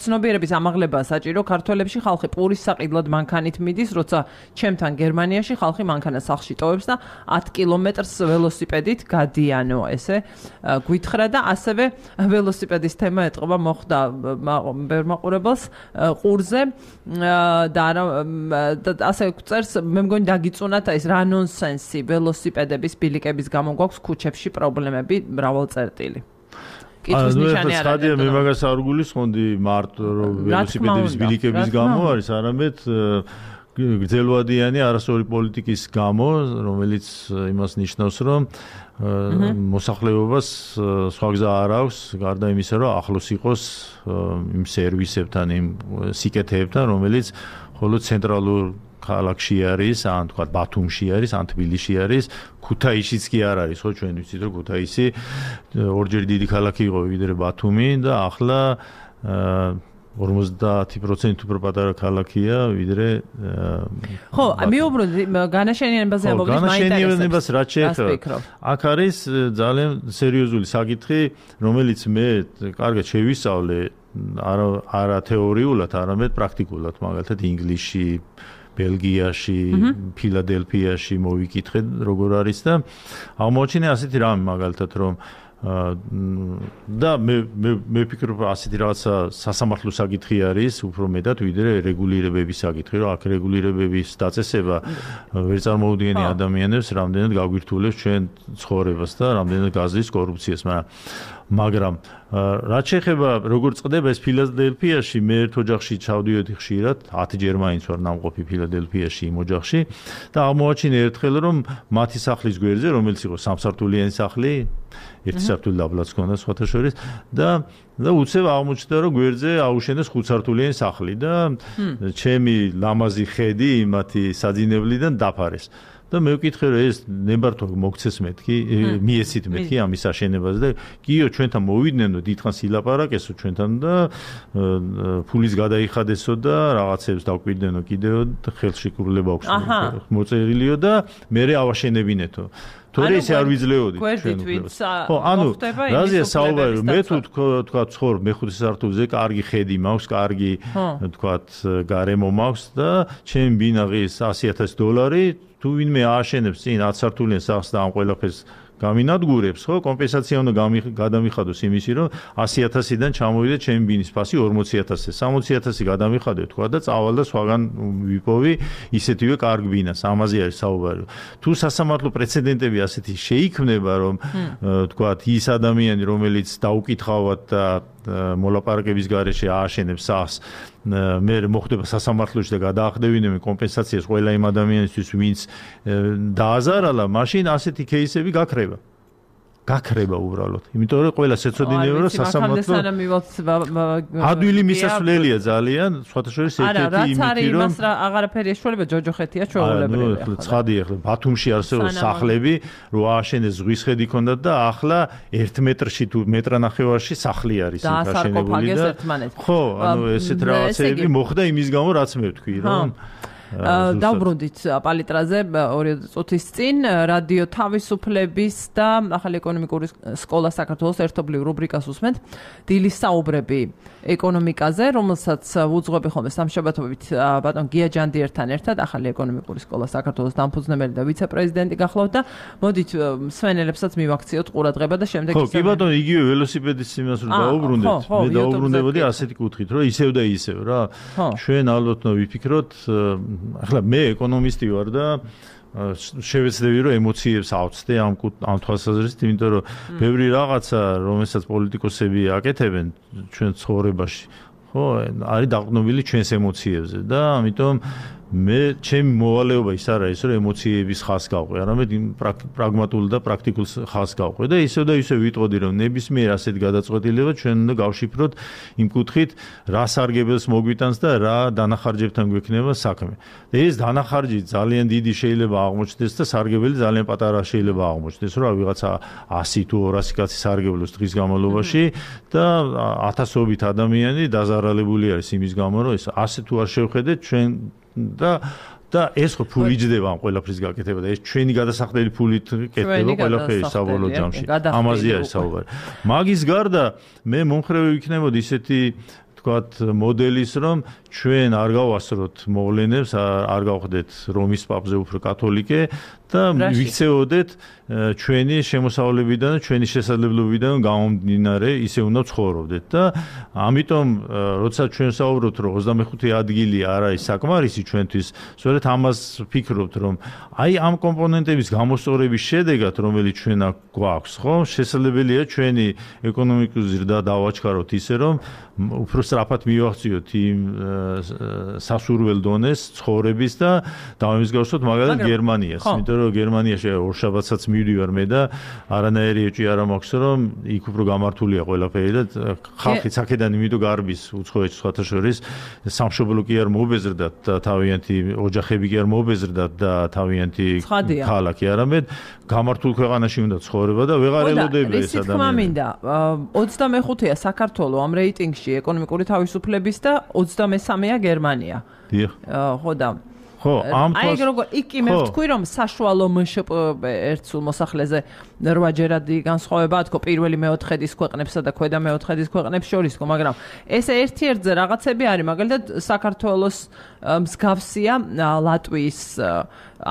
ცნობიერების ამაღლება საჭირო ქართველებში ხალხი პურის საყიდლად მანქანით მიდის როცა ჩემთან გერმანიაში ხალხი მანქანას სახლში ტოვებს და 10 კილომეტრს ველოსიპედით გადიანო ესე გვითხრა და ასევე ველოსიპედის თემა ეტყობა მოხდა ბევრ მაყურებელს ყურზე და ასე წერს მე მგონი დაგიწუნათ ეს რა ნონსენსი ველოსიპედების ბილიკების გამო გვაქვს ქუჩებში პრობლემები მრავალწერტილი კითხვის ნიშანი არ არის მე მაგას არ გულისხმობდი მარტო ველოსიპედების ბილიკების გამო არის არამედ გრძელვადიანი არასწორი პოლიტიკის გამო რომელიც იმას ნიშნავს რომ მოსახლეობას სხვა გზა არ აქვს გარდა იმისა რომ ახლოს იყოს იმ სერვისებთან იმ სიკეთეებთან რომელიც ხოლო ცენტრალურ ქალაქში არის, ან თქვა ბათუმში არის, ან თბილისში არის, ქუთაისშიც კი არ არის, ხო, ჩვენ ვიცით რომ ქუთაისი ორჯერ დიდი ქალაქი იყო ვიდრე ბათუმი და ახლა 50% უფრო პატარა ქალაქია ვიდრე ხო, მიუბრუნდი განაშენიანებაზე ამბობთ, განაშენიანებას რაც შეეხება. აქ არის ძალიან სერიოზული საკითხი, რომელიც მე კარგად შევისწავლე არა თეორიულად, არამედ პრაქტიკულად, მაგალითად ინგლისში, ბელგიაში, ფილადელფიაში მოვიკითხე როგორ არის და აღმოჩინე ასეთი რამე მაგალითად რომ და მე ვფიქრობ ასეთი რაღაცა სასამართლო საკითხი არის უფრო მეტად ვიდრე რეგულირებების საკითხი, რომ აქ რეგულირებების დაწესება ვერ წარმოუდგენია ადამიანებს, რამდენად გაგვირთულებს ჩვენ ცხოვრებას და რამდენად გაძლევს კორუფციას, მაგრამ რაც შეეხება როგორ წყდება ეს ფილადელფიაში, მე ერთ ოჯახში ჩავდიოდი ხშირად, 10 ჯერ მაინც ვარ ნამყოფი ფილადელფიაში იმ ოჯახში და აღმოაჩინე ერთხელ რომ მათი სახლის გვერდზე, რომელიც იყო სამსართულიანი სახლი, ერთი სართული დაბლაც ჰქონდა სხვათა შორის და უცებ აღმოჩნდა რომ გვერდზე აუშენეს 5 სართულიანი სახლი და ჩემი ლამაზი ხედი მათი საძინებლიდან დაფარეს. და მე ვკითხე რომ ეს ნებართვა მოგცეს მეთქი, მიეცით მეთქი ამის აშენებას და კიო ჩვენთან მოვიდნენ და დიდხანს ილაპარაკესო ჩვენთან და ფულის გადაიხადესო და რაღაცებს დავკვირდენო კიდევ ხელში კრულება აქვს მოწერილიო და მე ავაშენებინეთო. თორე ისე არ ვიძლეოდით ჩვენ უფლებას. ხო, ანუ რაზეა საუბარი, მე თუ თქვა ცხოვრ მეხუთე სართულზე, კარგი ხედი მაქვს, კარგი თქვა გარემო მაქვს და ჩემი ბინაღის $100,000 თუ ვინმე ააშენებს წინ 10 სართულიან სახლს და ამ ყველაფერს გამინადგურებს, ხო, კომპენსაცია უნდა გადამიხადოს იმისი, რომ 100,000-დან ჩამოვიდე ჩემი ბინის ფასი 40,000-ზე, 60,000 გადამიხადე თქვა და წავალ და სხვაგან ვიპოვი ისეთივე კარგ ბინას. ამაზე არის საუბარი. თუ სასამართლო პრეცედენტები ასეთი შეიქმნება, რომ თქვა ის ადამიანი, რომელიც დაუკითხავად და მოლაპარაკების გარეშე ააშენებს სახლს, მე მოხდება სასამართლოში და გადაახდევინებენ კომპენსაციას ყველა იმ ადამიანისთვის, ვინც დააზარალა, მაშინ ასეთი кейსები გაქრება. გაქრება უბრალოდ. იმიტომ რომ ყველას ეცოდინება რომ სასამართლო ადვილი მისასვლელია ძალიან, სხვათა შორის ერთ-ერთი იმითი რომ იმას რა აღარაფერი ეშველება ჯოჯოხეთია ჩვეულებრივი. ახლა ცხადი ახლა ბათუმში არსებობს სახლები, რო ააშენეს ზღვის ხედი ქონდათ და ახლა 1 მეტრში თუ მეტრანახევარში სახლი არის აშენებული და ხო, ანუ ესეთ რაღაცები მოხდა იმის გამო რაც მე ვთქვი რომ დავბრუნდით პალიტრაზე 2 წუთის წინ რადიო თავისუფლების და ახალი ეკონომიკური სკოლა საქართველოს ერთობლივ რუბრიკას უსმენთ დილის საუბრები ეკონომიკაზე, რომელსაც უძღვები ხოლმე სამშაბათობით ბატონ გია ჯანდიერთან ერთად ახალი ეკონომიკური სკოლა საქართველოს დამფუძნებელი და ვიცე-პრეზიდენტი გახლავთ და მოდით მსმენელებსაც მივაქციოთ ყურადღება და შემდეგ ხო, კი ბატონო, იგივე ველოსიპედის იმას რომ დაუბრუნდეთ, მე დაუბრუნდებოდი ასეთი კუთხით, რომ ისევ და ისევ რა. ჩვენ ალბათ ვიფიქროთ ახლა მე ეკონომისტი ვარ და შევეცდები რომ ემოციებს ავწდე ამ თვალსაზრისით, იმიტომ რომ ბევრი რაღაცა, რომელსაც პოლიტიკოსები აკეთებენ ჩვენ ცხოვრებაში, ხო, არის დაყრდნობილი ჩვენს ემოციებზე და ამიტომ მე ჩემი მოვალეობა ის არ არის, რომ ემოციების ხაზს გავყვე, არამედ პრაგმატულ და პრაქტიკულ ხაზს გავყვე და ისევ და ისევ ვიტყოდი, რომ ნებისმიერ ასეთ გადაწყვეტილება ჩვენ უნდა გავშიფროთ იმ კუთხით, რა სარგებელს მოგვიტანს და რა დანახარჯებთან გვექნება საქმე. და ეს დანახარჯი ძალიან დიდი შეიძლება აღმოჩნდეს და სარგებელი ძალიან პატარა შეიძლება აღმოჩნდეს, რომ ვიღაცა 100 თუ 200 კაცი სარგებლობს დღის განმავლობაში და ათასობით ადამიანი დაზარალებული არის იმის გამო, რომ ეს ასე თუ არ შევხედეთ ჩვენ და ეს ხო ფული იჯდება ამ ყველაფრის გაკეთება და ეს ჩვენი გადასახდელი ფულით კეთდება ყველაფერი საბოლოო ჯამში. ამაზე არის საუბარი. მაგის გარდა მე მომხრევი ვიქნებოდი ისეთი თქვათ მოდელის, რომ ჩვენ არ გავასწროთ მოვლენებს, არ გავხდეთ რომის პაპზე უფრო კათოლიკე და ვიქცეოდეთ ჩვენი შემოსავლებიდან და ჩვენი შესაძლებლობიდან გამომდინარე ისე უნდა ცხოვრობდეთ და ამიტომ როცა ჩვენ საუბრობთ რომ 25 ადგილი არ არის საკმარისი ჩვენთვის, სწორედ ამას ვფიქრობთ რომ აი ამ კომპონენტების გამოსწორების შედეგად რომელიც ჩვენ აქ გვაქვს, ხო, შესაძლებელია ჩვენი ეკონომიკური ზრდა დავაჩქაროთ ისე რომ უფრო სწრაფად მივაღწიოთ იმ სასურველ დონეს ცხოვრების და დავიმსგავსოთ მაგალითად გერმანიას, იმიტომ რომ გერმანიაში ორშაბათსაც მივდივარ მე და არანაირი ეჭვი არ მაქვს რომ იქ უფრო გამართულია ყველაფერი და ხალხი აქედან იმიტომ გარბის უცხოეთში სხვათა შორის სამშობლო კი არ მობეზრდათ და თავიანთი ოჯახები კი არ მობეზრდათ და თავიანთი ქალაქი არამედ გამართულ ქვეყანაში უნდა ცხოვრება და ვეღარ ელოდება ეს ადამიანი. თქმა მინდა 25-ია საქართველოს ამ რეიტინგში ეკონომიკური თავისუფლების და 23-ია გერმანია. დიახ. ხო და აი როგორ იქ მე ვთქვი რომ საშუალო მშპ ერთსულ მოსახლეზე 8-ჯერადი განსხვავება თქო პირველი მეოთხედის ქვეყნებსა და ქვედა მეოთხედის ქვეყნებს შორის თქო მაგრამ ეს ერთ-ერთზე რაღაცები არის მაგალითად საქართველოს მსგავსია ლატვიის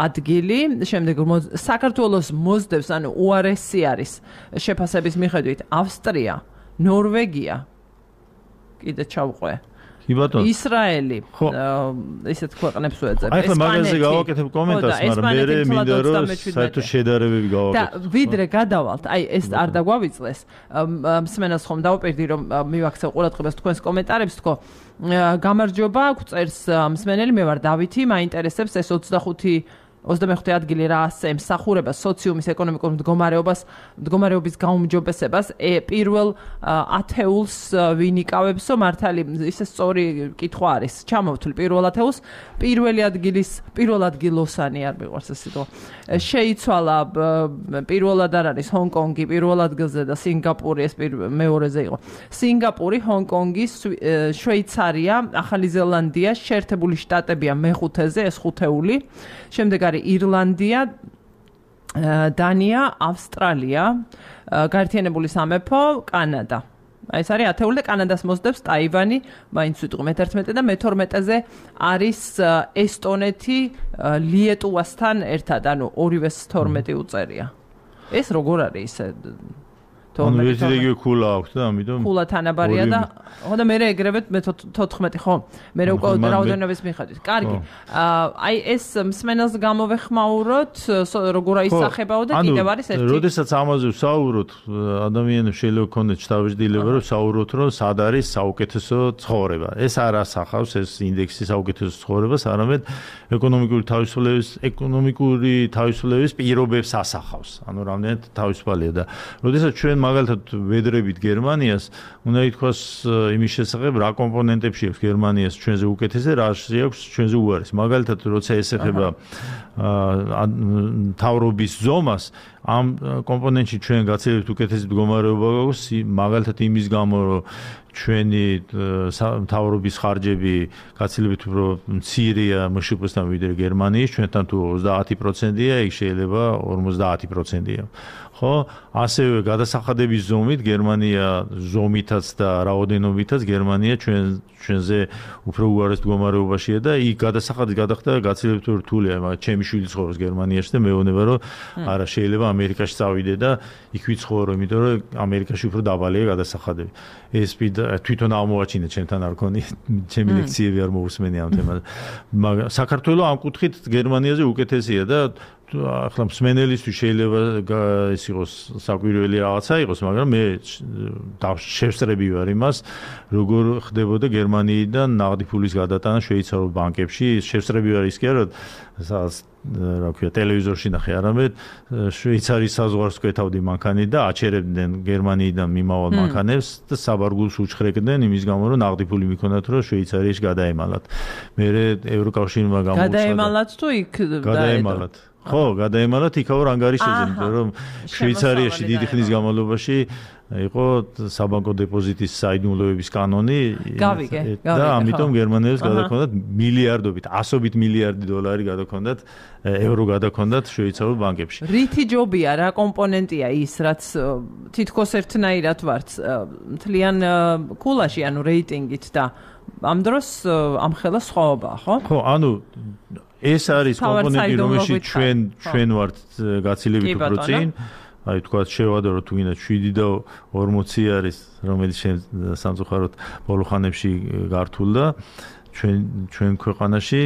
ადგილი შემდეგ საქართველოს მოსდევს ანუ უარესი არის შეფასების მიხედვით ავსტრია ნორვეგია კიდე ჩავყვე ისრაელი ისეთ ქვეყნებს ვეძებ ესპანეთი. ახლა მაგაზე გავაკეთებ კომენტარს, მაგრამ მე მინდა რომ საერთოდ შედარებები გავაკეთო. და ვიდრე გადავალთ, აი ეს არ დაგვავიწლეს. მსმენელს ხომ დავაპირდი რომ მივაქცევ ყურადღებას თქვენს კომენტარებს, თქო გამარჯობა, გვწერს მსმენელი, მე ვარ დავითი, მაინტერესებს ეს 25 ადგილი რა ასე მსახურება სოციუმის ეკონომიკურ მდგომარეობის გაუმჯობესებას პირველ ათეულს ვინ იკავებსო მართალი ისე სწორი კითხვა არის ჩამოვთვლი პირველ ათეულს პირველ ადგილოსანი არ მიყვარს ეს სიტყვა შეიცვალა პირველად არ არის ჰონკონგი პირველ ადგილზე და სინგაპური ეს მეორეზე იყო სინგაპური ჰონკონგი შვეიცარია ახალი ზელანდია შეერთებული შტატებია მეხუთეზე ეს ხუთეული შემდეგ ირლანდია, დანია, ავსტრალია, გაერთიანებული სამეფო, კანადა. ეს არის ათეული და კანადას მოსდევს ტაივანი, მაინც ვიტყვი მე-11 და მე-12-ზე არის ესტონეთი ლიეტუვასთან ერთად, ანუ ორივეს 12 უწერია. ეს როგორ არის ისე ანუ ეს რეგიო ქულა აქვს და ამიტომ ქულა თანაბარია და ხო და მე ეგრევეთ მე 14 ხო მე უკვე რაოდენობის მიხედვით კარგი აი ეს მსმენელს გამოვეხმაუროთ როგორ აისახებაო და კიდევ არის ერთი როდესაც ამაზე ვსაუბრობთ ადამიანებს შეიძლება ქონდეს თავისდილება რომ ვსაუბროთ რომ სად არის საუკეთესო ცხოვრება ეს არ ასახავს ეს ინდექსი საუკეთესო ცხოვრებას არამედ ეკონომიკური თავისუფლების პირობებს ასახავს ანუ რამდენად თავისუფალია და როდესაც ჩვენ მაგალითად ვედრებით გერმანიას უნდა ითქვას იმის შესახებ რა კომპონენტებში აქვს გერმანიას ჩვენზე უკეთესზე რა აქვს ჩვენზე უარეს მაგალითად როცა ესეხება თავრობის ზომას ამ კომპონენტში ჩვენ გაცილებით უკეთესი მდგომარეობა გვაქვს მაგალითად იმის გამო რომ ჩვენი თავრობის ხარჯები გაცილებით უფრო მცირეა მშპ-სთან ვიდრე გერმანიის ჩვენთან თუ 30%-ია იქ შეიძლება 50%-ია ხო ასევე გადასახადების ზომით გერმანია ზომითაც და რაოდენობითაც გერმანია ჩვენზე უფრო უარეს მდგომარეობაშია და იქ გადასახადი გადახდა გაცილებით რთულია მაგრამ ჩემი შვილი ცხოვრობს გერმანიაში და მეუბნება რომ არა შეიძლება ამერიკაში წავიდე და იქ ვიცხოვრო იმიტომ რომ ამერიკაში უფრო დაბალია გადასახადები ეს თვითონ აღმოაჩინე ჩემთან არ ქონი ჩემი ლექციები არ მოусმენი ამ თემაზე მაგრამ საქართველოს ამ კუთხით გერმანიაზე უკეთესია და ახლა მსმენელისთვის შეიძლება ის იყოს საკვირველი რაღაცა იყოს, მაგრამ მე შევსწრები ვარ იმას, როგორ ხდებოდა გერმანიიდან ნაღდი ფულის გადატანა შვეიცარიულ ბანკებში. შევსწრები ვარ ის კი არა, რა ქვია, ტელევიზორში ნახე, არამედ შვეიცარიის საზღვარს კვეთავდი მანქანით და აჩერებდნენ გერმანიიდან მიმავალ მანქანებს და საბარგულს უჩხრეკდნენ იმის გამო, რომ ნაღდი ფული მიქონდათ, რომ შვეიცარიაში გადაემალათ. მე ევროკავშირმა გამოუცხადა. გადაემალათ თუ იქ გადაემალათ. ხო, გადაემალათ იქაურ ანგარიშებზე, იმიტომ რომ შვეიცარიაში დიდი ხნის განმავლობაში იყო საბანკო დეპოზიტის საიდუმლოების კანონი და ამიტომ გერმანელებს გადაქონდათ მილიარდობით, ასობით მილიარდი დოლარი გადაქონდათ, ევრო გადაქონდათ შვეიცარიულ ბანკებში. რითი ჯობია რა კომპონენტია ის, რაც თითქოს ერთნაირად ვართ მთლიან ქულაში, ანუ რეიტინგით და ამ დროს ამხელა სხვაობაა, ხო? ხო, ანუ ეს არის კომპონენტი, რომელშიც ჩვენ ვართ გაცილებით უფრო წინ. აი თქვა შევადარო თუ გინდა 7 და 40 არის, რომელიც სამწუხაროდ ბოლო ხანებში გართულდა ჩვენ ქვეყანაში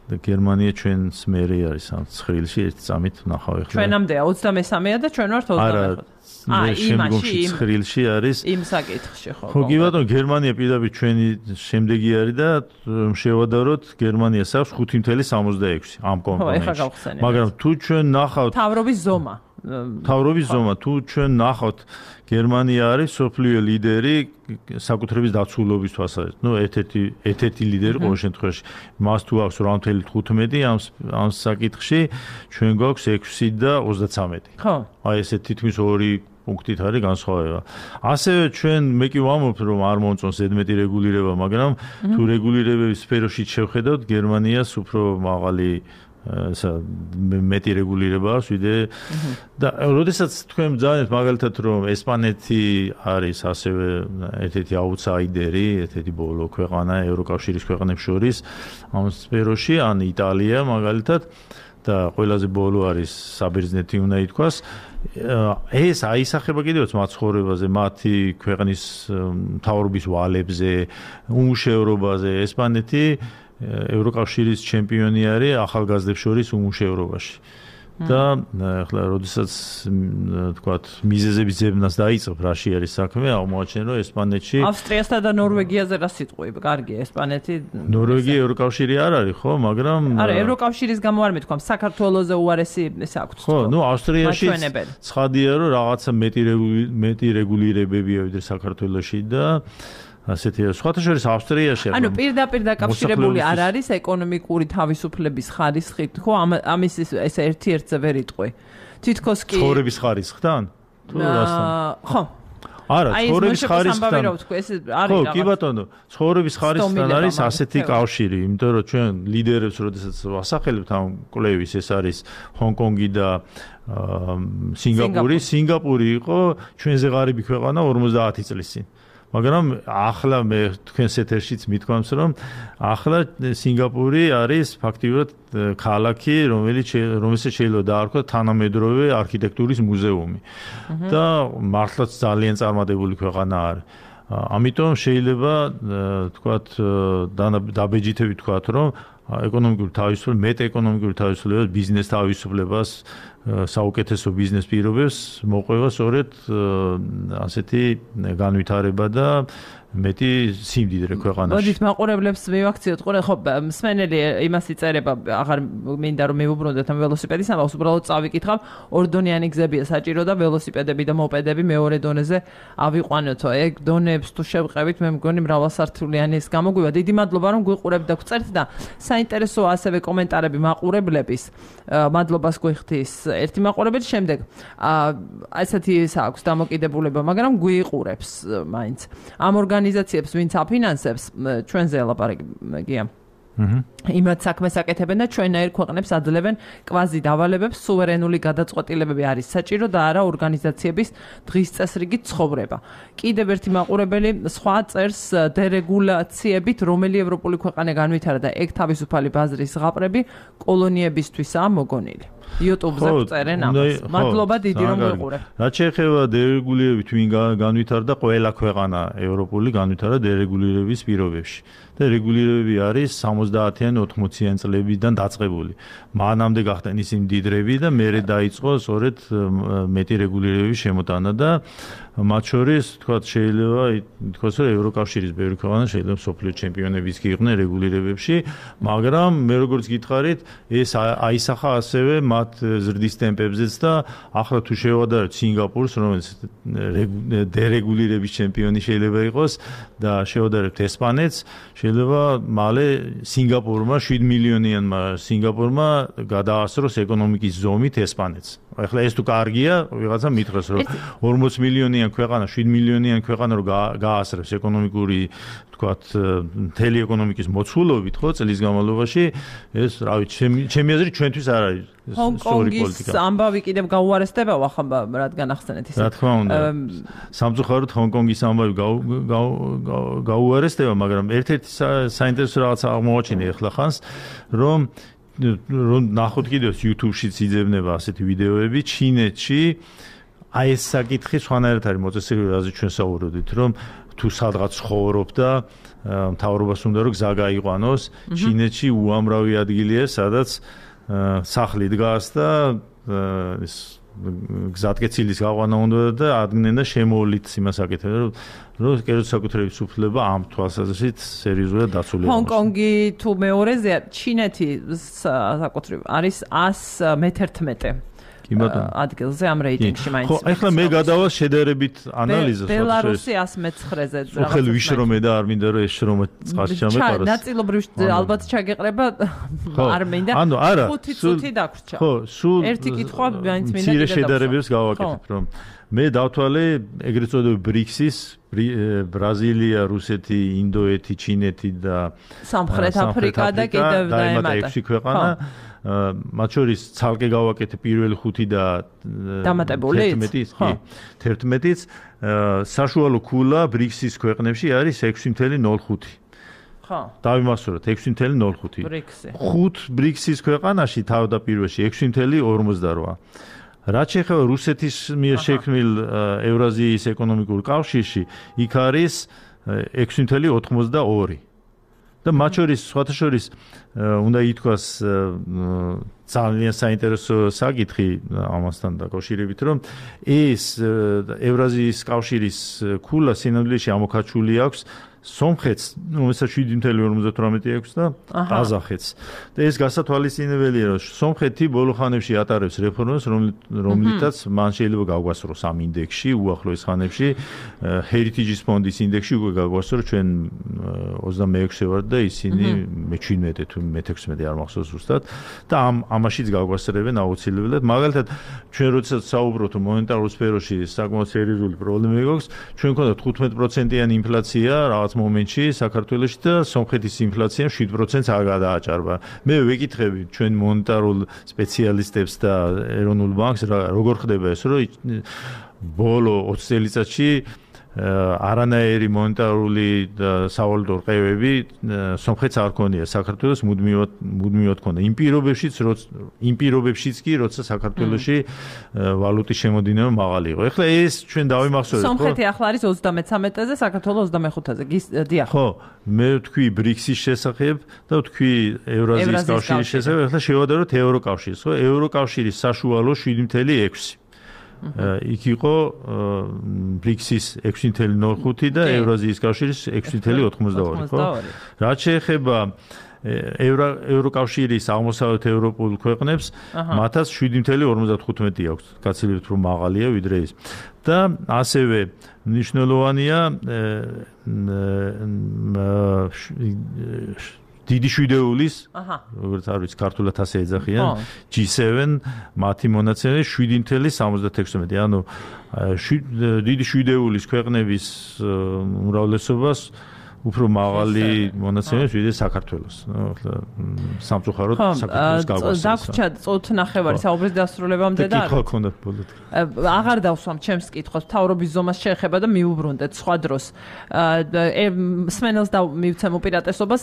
და გერმანია ჩვენს მერე არის ამ ცხრილში ერთ წამით ნახავ ახლა. ჩვენამდეა 23-ია და ჩვენ ვართ 25. შემდგომში ცხრილში არის იმ საკითხში ხო. ხო კი ბატონო გერმანია პირდაპირ ჩვენი შემდეგი არის და შევადაროთ გერმანიას აქვს 5.66 ამ კომპონენტში. მაგრამ თუ ჩვენ ნახავთ თავრობის ზომა თავრობის ზომა თუ ჩვენ ნახავთ გერმანია არის სოფლიო ლიდერი საკუთრების დაცულობის თვალსაზრისით. ერთ-ერთი ლიდერი ყოველ შემთხვევაში. მას თუ აქვს 8.15 ამ საკითხში, ჩვენ გვაქვს 6 და 33. ხო. აი ესე თითქმის 2 პუნქტით არის განსხვავება. ასევე ჩვენ მე კი ვამბობ, რომ არ მომწონს ზედმეტი რეგულირება, მაგრამ თუ რეგულირებების სფეროში შევხედავთ, გერმანიას უფრო მაღალი მეტი რეგულირება აქვს ვიდრე და როდესაც თქვენ ძალიან მაგალითად რომ ესპანეთი არის ასევე ერთ-ერთი აუთსაიდერი, ერთ-ერთი ბოლო ქვეყანა ევროკავშირის ქვეყნებს შორის ამ სფეროში, ან იტალია მაგალითად და ყველაზე ბოლო არის საბერძნეთი უნდა ითქვას. ეს აისახება კიდევაც მაცხოვრებაზე, მათი ქვეყნის მთავრობის ვალებზე, უმუშევრობაზე. ესპანეთი ევროკავშირის ჩემპიონი არის ახალგაზრდებს შორის უმუშევრობაში. და ახლა როდესაც თქვათ მიზეზების ძებნას დაიწყებ, რაში არის საქმე, აღმოაჩენ რომ ესპანეთში ავსტრიასთან და ნორვეგიაზე რა სიტყვი, კარგი, ესპანეთი ნორვეგია ევროკავშირი არ არის, ხო, მაგრამ არა, ევროკავშირის გამო არ მეთქვა, საქართველოზე უარესი ეს აქვს. ხო, ნუ ავსტრიაში ცხადია რომ რაღაცა მეტი რეგულირებებია ვიდრე საქართველოში და ასეთი სხვათა შორის ავსტრიაში ანუ პირდაპირ დაკავშირებული არ არის ეკონომიკური თავისუფლების ხარისხით, ხო? ამის ეს ერთ-ერთზე ვერ იტყვი. თითქოს კი ცხოვრების ხარისხთან? თუ რასთან? ხო. არა, ცხოვრების ხარისხთან. ხო, კი ბატონო, ცხოვრების ხარისხთან არის ასეთი კავშირი, იმიტომ რომ ჩვენ ლიდერებს როდესაც ვასახელებთ ამ კვლევის, ეს არის ჰონკონგი და სინგაპური. სინგაპური იყო ჩვენზე ღარიბი ქვეყანა 50 წლის წინ. მაგრამ ახლა მე თქვენს ეთერშიც მithქვამს რომ ახლა სინგაპური არის ფაქტიურად ქალაქი რომელსაც შეიძლება დაარქვათ თანამედროვე არქიტექტურის მუზეუმი და მართლაც ძალიან წარმატებული ქვეყანა არის. ამიტომ შეიძლება თქვათ დაბეჯითებით თქვათ რომ ეკონომიკური თავისუფლება, მეტ-ეკონომიკური თავისუფლება, ბიზნეს თავისუფლებას, საუკეთესო ბიზნეს პირობებს მოყვება სწორედ ასეთი განვითარება და მეტი სიმდიდრე ქვეყანაში. მოდით მაყურებლებს მივაქციოთ, ხო, მსმენელი იმას იწერება, აღარ მინდა რომ მივუბრუნდეთ ამ ველოსიპედის ამბავს, უბრალოდ წავიკითხავ, ორდონიანი გზებია საჭირო და ველოსიპედები და მოპედები მეორე დონეზე ავიყვანოთო. ეგ დონეებს თუ შევყევით, მე მგონი მრავალსართულიანი ეს გამოგვივა. დიდი მადლობა რომ გვიყურებთ და გვწერთ და საინტერესოა ასევე კომენტარები მაყურებლების. მადლობას გვიხდის ერთი მაყურებელი, შემდეგ ესეთი ის აქვს დამოკიდებულება, მაგრამ გვიყურებს მაინც. ამ ორგანიზაციებს ვინც აფინანსებს ჩვენზე ელაპარაკია. იმათ საქმეს აკეთებენ და ჩვენაირ ქვეყნებს აძლევენ კვაზი დავალებებს, სუვერენული გადაწყვეტილებები არის საჭირო და არა ორგანიზაციების დღის წესრიგით ცხოვრება. კიდევ ერთი მაყურებელი სხვა წერს დერეგულაციებით, რომელი ევროპული ქვეყანა განვითარა და ეგ თავისუფალი ბაზრის ზღაპრები კოლონიებისთვისაა მოგონილი. YouTube-ზე წერენ ამას. მადლობა დიდი რომ გვიყურებთ. რაც შეეხება დერეგულირებით ვინ განვითარდა, ყველა ქვეყანა ევროპული განვითარა დერეგულირების პირობებში. და რეგულირებები არის 70-იან 80-იან წლებიდან დაწყებული. მანამდე გახდნენ ისინი მდიდრები და მერე დაიწყო სწორედ მეტი რეგულირებების შემოტანა და მათ შორის თქვათ შეიძლება ითქვას რომ ევროკავშირის ბევრი ქვეყანა შეიძლება სოფლიო ჩემპიონებიც კი იყვნენ რეგულირებებში, მაგრამ მე როგორც გითხარით, ეს აისახა ასევე მათ ზრდის ტემპებზეც და ახლა თუ შევადარებთ სინგაპურს, რომელიც დერეგულირების ჩემპიონი შეიძლება იყოს და შევადარებთ ესპანეთს, შეიძლება მალე სინგაპურმა 7 მილიონიანმა სინგაპურმა გადაასწროს ეკონომიკის ზომით ესპანეთს. ახლა ეს თუ კარგია, ვიღაცა მითხრას რომ 40 მილიონიან ქვეყანა, 7 მილიონიან ქვეყანა რომ გაასწრებს ეკონომიკური, თქვათ, მთელი ეკონომიკის მოცულობით, ხო, წლის განმავლობაში, ეს, რა ვიცი, ჩემი აზრით ჩვენთვის არ არის სწორი პოლიტიკა. ჰონკონგის ამბავი კიდევ გაუარესდება, ახლა რადგან ახსენეთ ისე. რა თქმა უნდა. სამწუხაროდ ჰონკონგის ამბავი გაუარესდება, მაგრამ ერთ-ერთი საინტერესო რაღაცა აღმოაჩინე ახლა ხანს, რომ ნახოთ კიდევ YouTube-შიც იძებნება ასეთი ვიდეოები ჩინეთში აი ეს საკითხი სხვანაირად არის მოწესრიგებული, რაზეც ჩვენ საუბრობდით, რომ თუ სადღაც ცხოვრობ და მთავრობას უნდა რომ გზა გაიყვანოს, ჩინეთში უამრავი ადგილია, სადაც სახლი დგას და ეს გზატკეცილის გაყვანა უნდა და ადგნენ და შემოვლით იმას აკეთებენ, რომ კერძო საკუთრების უფლება ამ თვალსაზრისით სერიოზულად დაცულია. ჰონკონგი თუ მეორეზეა, ჩინეთი საკუთრივ არის 111 ადგილზე ამ რეიტინგში მაინც. ხო, ახლა მე გადავალ შედარებით ანალიზას. ბელარუსი 109-ზე. ხელ ვიშრომე და არ მინდა რომ ეს შრომა წყალში ჩამეყაროს. ნაწილობრივ ალბათ ჩაგეყრება არ მინდა. ანუ არა. 5 წუთი დაგვრჩა. ხო, სულ ერთი კითხვა მაინც მინდა მცირე შედარებებს გავაკეთებ, რომ მე დავთვალე ეგრეთ წოდებული ბრიქსის ბრაზილია, რუსეთი, ინდოეთი, ჩინეთი და სამხრეთ აფრიკა და კიდევ დაემატა 6 ქვეყანა. მათ შორის ცალკე გავაკეთე პირველი 5 და დამატებული 11-იც საშუალო ქულა ბრიქსის ქვეყნებში არის 6.05. ხო. დავიმახსოვროთ 6.05. ბრიქსი. 5 ბრიქსის ქვეყანაში თავდაპირველში 6.48. რაც შეეხება რუსეთის მიერ შექმნილ ევრაზიის ეკონომიკურ კავშირში, იქ არის 6.82. და მათ შორის სხვათა შორის უნდა ითქვას ძალიან საინტერესო საკითხი ამასთან დაკავშირებით, რომ ეს ევრაზიის კავშირის ქულა სინამდვილეში ამოქაჩული აქვს სომხეთს, რომელსაც 7.58 აქვს და ყაზახეთს. და ეს გასათვალისწინებელია, რომ სომხეთი ბოლო ხანებში ატარებს რეფორმებს, რომლითაც მან შეიძლება გავგვასწროს ამ ინდექსში, უახლოეს ხანებში, Heritage ფონდის ინდექსში უკვე გავგვასწროს ჩვენ 26-ე ვართ და ისინი მე-17 თუ მე-16 არ მახსოვს ზუსტად და ამაშიც გავგვასწრებენ აუცილებლად. მაგალითად, ჩვენ როდესაც საუბრობთ მონეტარულ სფეროში საკმაოდ სერიოზული პრობლემა გვაქვს, ჩვენ გვქონდა 15%-იანი ინფლაცია რაღაც მომენტში საქართველოში და სომხეთის ინფლაციამ 7%-ს არ გადააჭარბა. მე ვეკითხები ჩვენ მონეტარულ სპეციალისტებს და ეროვნულ ბანკს, როგორ ხდება ეს, რომ ბოლო 20 წელიწადში არანაირი მონეტარული და სავალუტო რყევები სომხეთს არ ქონია, საქართველოს მუდმივად ქონდა. იმ პირობებშიც კი, როცა საქართველოში ვალუტის შემოდინება მაღალი იყო. ეხლა ეს ჩვენ დავიმახსოვრეთ, ხო? სომხეთი ახლა არის 33-ზე, საქართველოს 25-ზე. დიახ. ხო, მე ვთქვი ბრიქსის შესახებ და ვთქვი ევრაზიის კავშირის შესახებ. ეხლა შევადაროთ ევროკავშირს, ხო? ევროკავშირის საშუალო 7.6. იქ იყო ბრიქსის 6.05 და ევრაზიის კავშირის 6.82, ხო? რაც შეეხება ევროკავშირის აღმოსავლეთ ევროპულ ქვეყნებს, მათაც 7.55 აქვს, გაცილებით უფრო მაღალია ვიდრე ის. და ასევე მნიშვნელოვანია დიდი შვიდეულის, როგორც არ ვიცი, ქართულად ასე ეძახიან, G7 მათი მონაცემები 7.76. ანუ დიდი შვიდეულის ქვეყნების უმრავლესობას უფრო მაღალი მონაცემებს ვიდრე საქართველოს. სამწუხაროდ საქართველოს გავგასწრებს. დაგვრჩა წოთ ნახევარი საუბრის დასრულებამდე და კითხვა ქონდა ბოლოდ. აღარ დავსვამ ჩემს კითხვას, მთავრობის ზომას შეეხება და მიუბრუნდეთ სხვა დროს. სმენელს მივცემ უპირატესობას,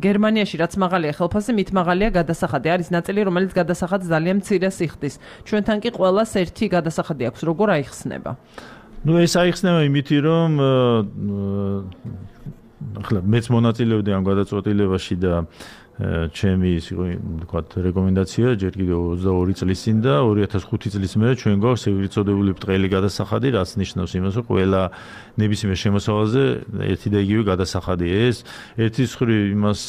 გერმანიაში რაც მაღალია ხელფასი, მით მაღალია გადასახადი. არის ნაწილი, რომელიც გადასახადს ძალიან მცირეს იხდის. ჩვენთან კი ყველას ერთი გადასახადი აქვს, როგორ აიხსნება? ნუ ეს აიხსნება იმითი, რომ ახლა მეც მონაწილეობდი ამ გადაწყვეტილებაში და ჩემი ის იყო თქვა რეკომენდაცია ჯერ კიდევ 22 წლის წინ და 2005 წლის მერე ჩვენ გვაქვს ეგრეთ წოდებული ბრტყელი გადასახადი, რაც ნიშნავს იმას, რომ ყველა ნებისმიერ შემოსავალზე ერთი და იგივე გადასახადია. ეს ერთის მხრივ იმას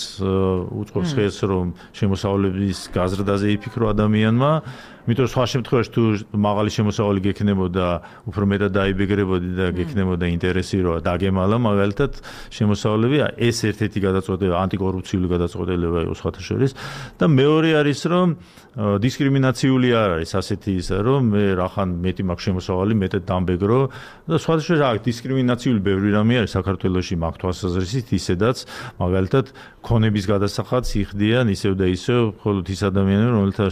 უწყობს ხელს, რომ შემოსავლების გაზრდაზე იფიქრო ადამიანმა, იმიტომ რომ სხვა შემთხვევაში თუ მაღალი შემოსავალი გექნებოდა, უფრო მეტად დაიბეგრებოდი და გექნებოდა ინტერესი რომ დაგემალა მაგალითად შემოსავლები, ეს ერთ-ერთი გადაწყვეტილება, ანტიკორუფციული გადაწყვეტილება იყო სხვათა შორის და მეორე არის რომ დისკრიმინაციული არ არის ასეთი ისა, რომ მე რახან მეტი მაქვს შემოსავალი, მეტად დამბეგრო და სხვათა შორის აქ დისკრიმინაციული ბევრი რამე არის საქართველოში მაგ თვალსაზრისით, ისედაც მაგალითად ქონების გადასახადს იხდიან ისევ და ისევ მხოლოდ ის ადამიანები, რომელთა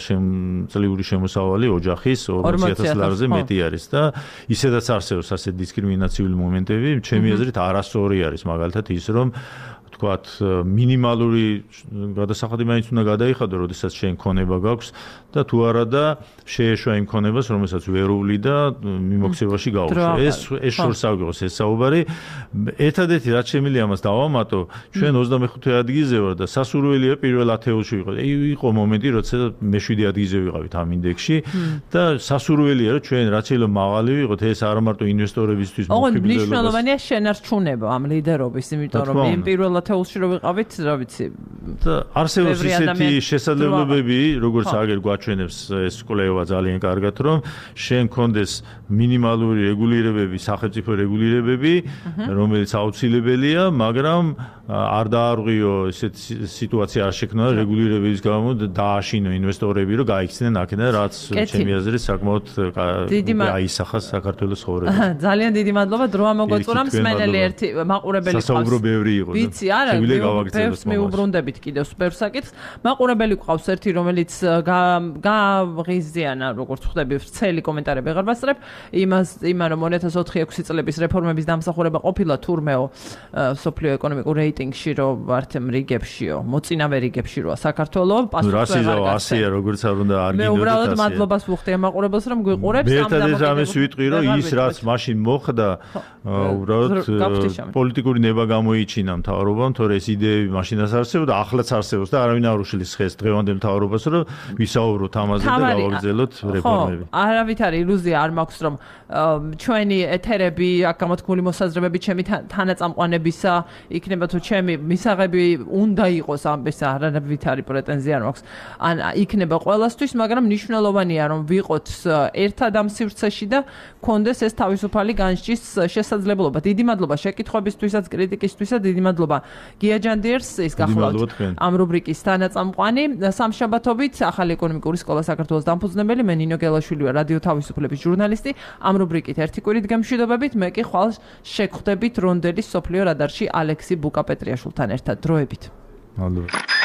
წლიური შემოსავალი ოჯახის 40,000 ლარზე მეტი არის და ისედაც არსებობს ასეთი დისკრიმინაციული მომენტები, ჩემი აზრით არასწორი არის მაგალითად ის, რომ თქვათ მინიმალური გადასახადი მაინც უნდა გადაიხადო, როდესაც შენ ქონება გაქვს და თუ არა და შეეშვა იმ ქონებას, რომელსაც ვერული და მიმოქცევაში გაუშვა. ეს შორს აღგოს ეს საუბარი. ერთადერთი რაც შემიძლია ამას დავამატო, ჩვენ 25 ადგილზე ვარ და სასურველია პირველ 10-ში ვიყო. იყო მომენტი, როცა მე 7 ადგილზე ვიყავით ამ ინდექსში და სასურველია, რომ ჩვენ რაც შეიძლება მაღალი ვიყოთ, ეს არა მარტო ინვესტორებისთვის მოხიბლდება. ოღონდ მნიშვნელოვანია შენარჩუნება ამ ლიდერობის, იმიტომ რომ იმ პირველ ათეულში რო ვიყავით, რა ვიცი. არსებობს ისეთი შესაძლებლობები, როგორც აგერ გვაჩვენებს ეს კვლევა ძალიან კარგად, რომ შენ კონდეს მინიმალური რეგულირებები, სახელმწიფო რეგულირებები, რომელიც აუცილებელია, მაგრამ არ დაარღვიო ესეთ სიტუაცია არ შექმნა რეგულირების გამო დააშინო ინვესტორები, რომ გაიქცნენ აქედან, რაც ჩემი აზრით საკმაოდ აისახა საქართველოს ცხოვრება. ძალიან დიდი მადლობა დრო ამოგვეწურა მსმენელი ერთი მაყურებელი ყავს. სასაუბრო ბევრი იყო. ვიცი, არა, ბევრს მიუბრუნდებით კიდევ სუპერ საკითხს. მაყურებელი ყავს ერთი, რომელიც გააღიზიანა, როგორც ხვდები, ვრცელი კომენტარები აღარ ვასწრებ. იმან რომ 2004-6 წლების რეფორმების დამსახურება ყოფილა თურმეო სოფლიო ეკონომიკურ რეიტინგში რო ვართ რიგებშიო, მოწინავე რიგებში როა საქართველოს პასუხი რა 100-ია, როგორც არ უნდა არ გინდოდეთ. მე უბრალოდ მადლობას ვუხდი ამ მაყურებელს, რომ გვიყურებს ამ დამოკიდებას ვიტყვი, რომ ის რაც მაშინ მოხდა, უბრალოდ პოლიტიკური ნება გამოიჩინა მთავრობამ, თორე ეს იდეები მაშინაც არსებობდა, ახლაც არსებობს და არავინ არ უშლის ხეს დღევანდელ მთავრობას, რომ ვისაუბროთ ამაზე და გავაგრძელოთ რეფორმები. არავით არის ილუზია არ მაქვს, რომ ჩვენი ეთერები, აქ გამოთქმული მოსაზრებები ჩემი თანაწამყვანებისა იქნება თუ ჩემი მისაღები უნდა იყოს ამბეს არავით არის პრეტენზია არ მაქვს. ან იქნება ყველასთვის, მაგრამ მნიშვნელოვანია რომ ვიყოთ ერთად ამ სივრცეში და კონდეს ეს თავისუფალი განსჯის შესაძლებლობა. დიდი მადლობა შეკითხვებისთვისაც, კრიტიკისთვისაც, დიდი მადლობა გია ჯანდიერს, ის გახლავთ ამ რუბრიკის თანაწამყვანი. სამშაბათობით ახალი ეკონომიკური სკოლა საქართველოს დამფუძნებელი მე ნინო გელაშვილია, რადიო თავისუფლების ჟურნალისტი. ამ რუბრიკით ერთი კვირით გემშვიდობებით, მე კი ხვალ შეგხვდებით რონდელის სოფლიო რადარში ალექსი ბუკაპეტრიაშვილთან ერთად. დროებით. მადლობა.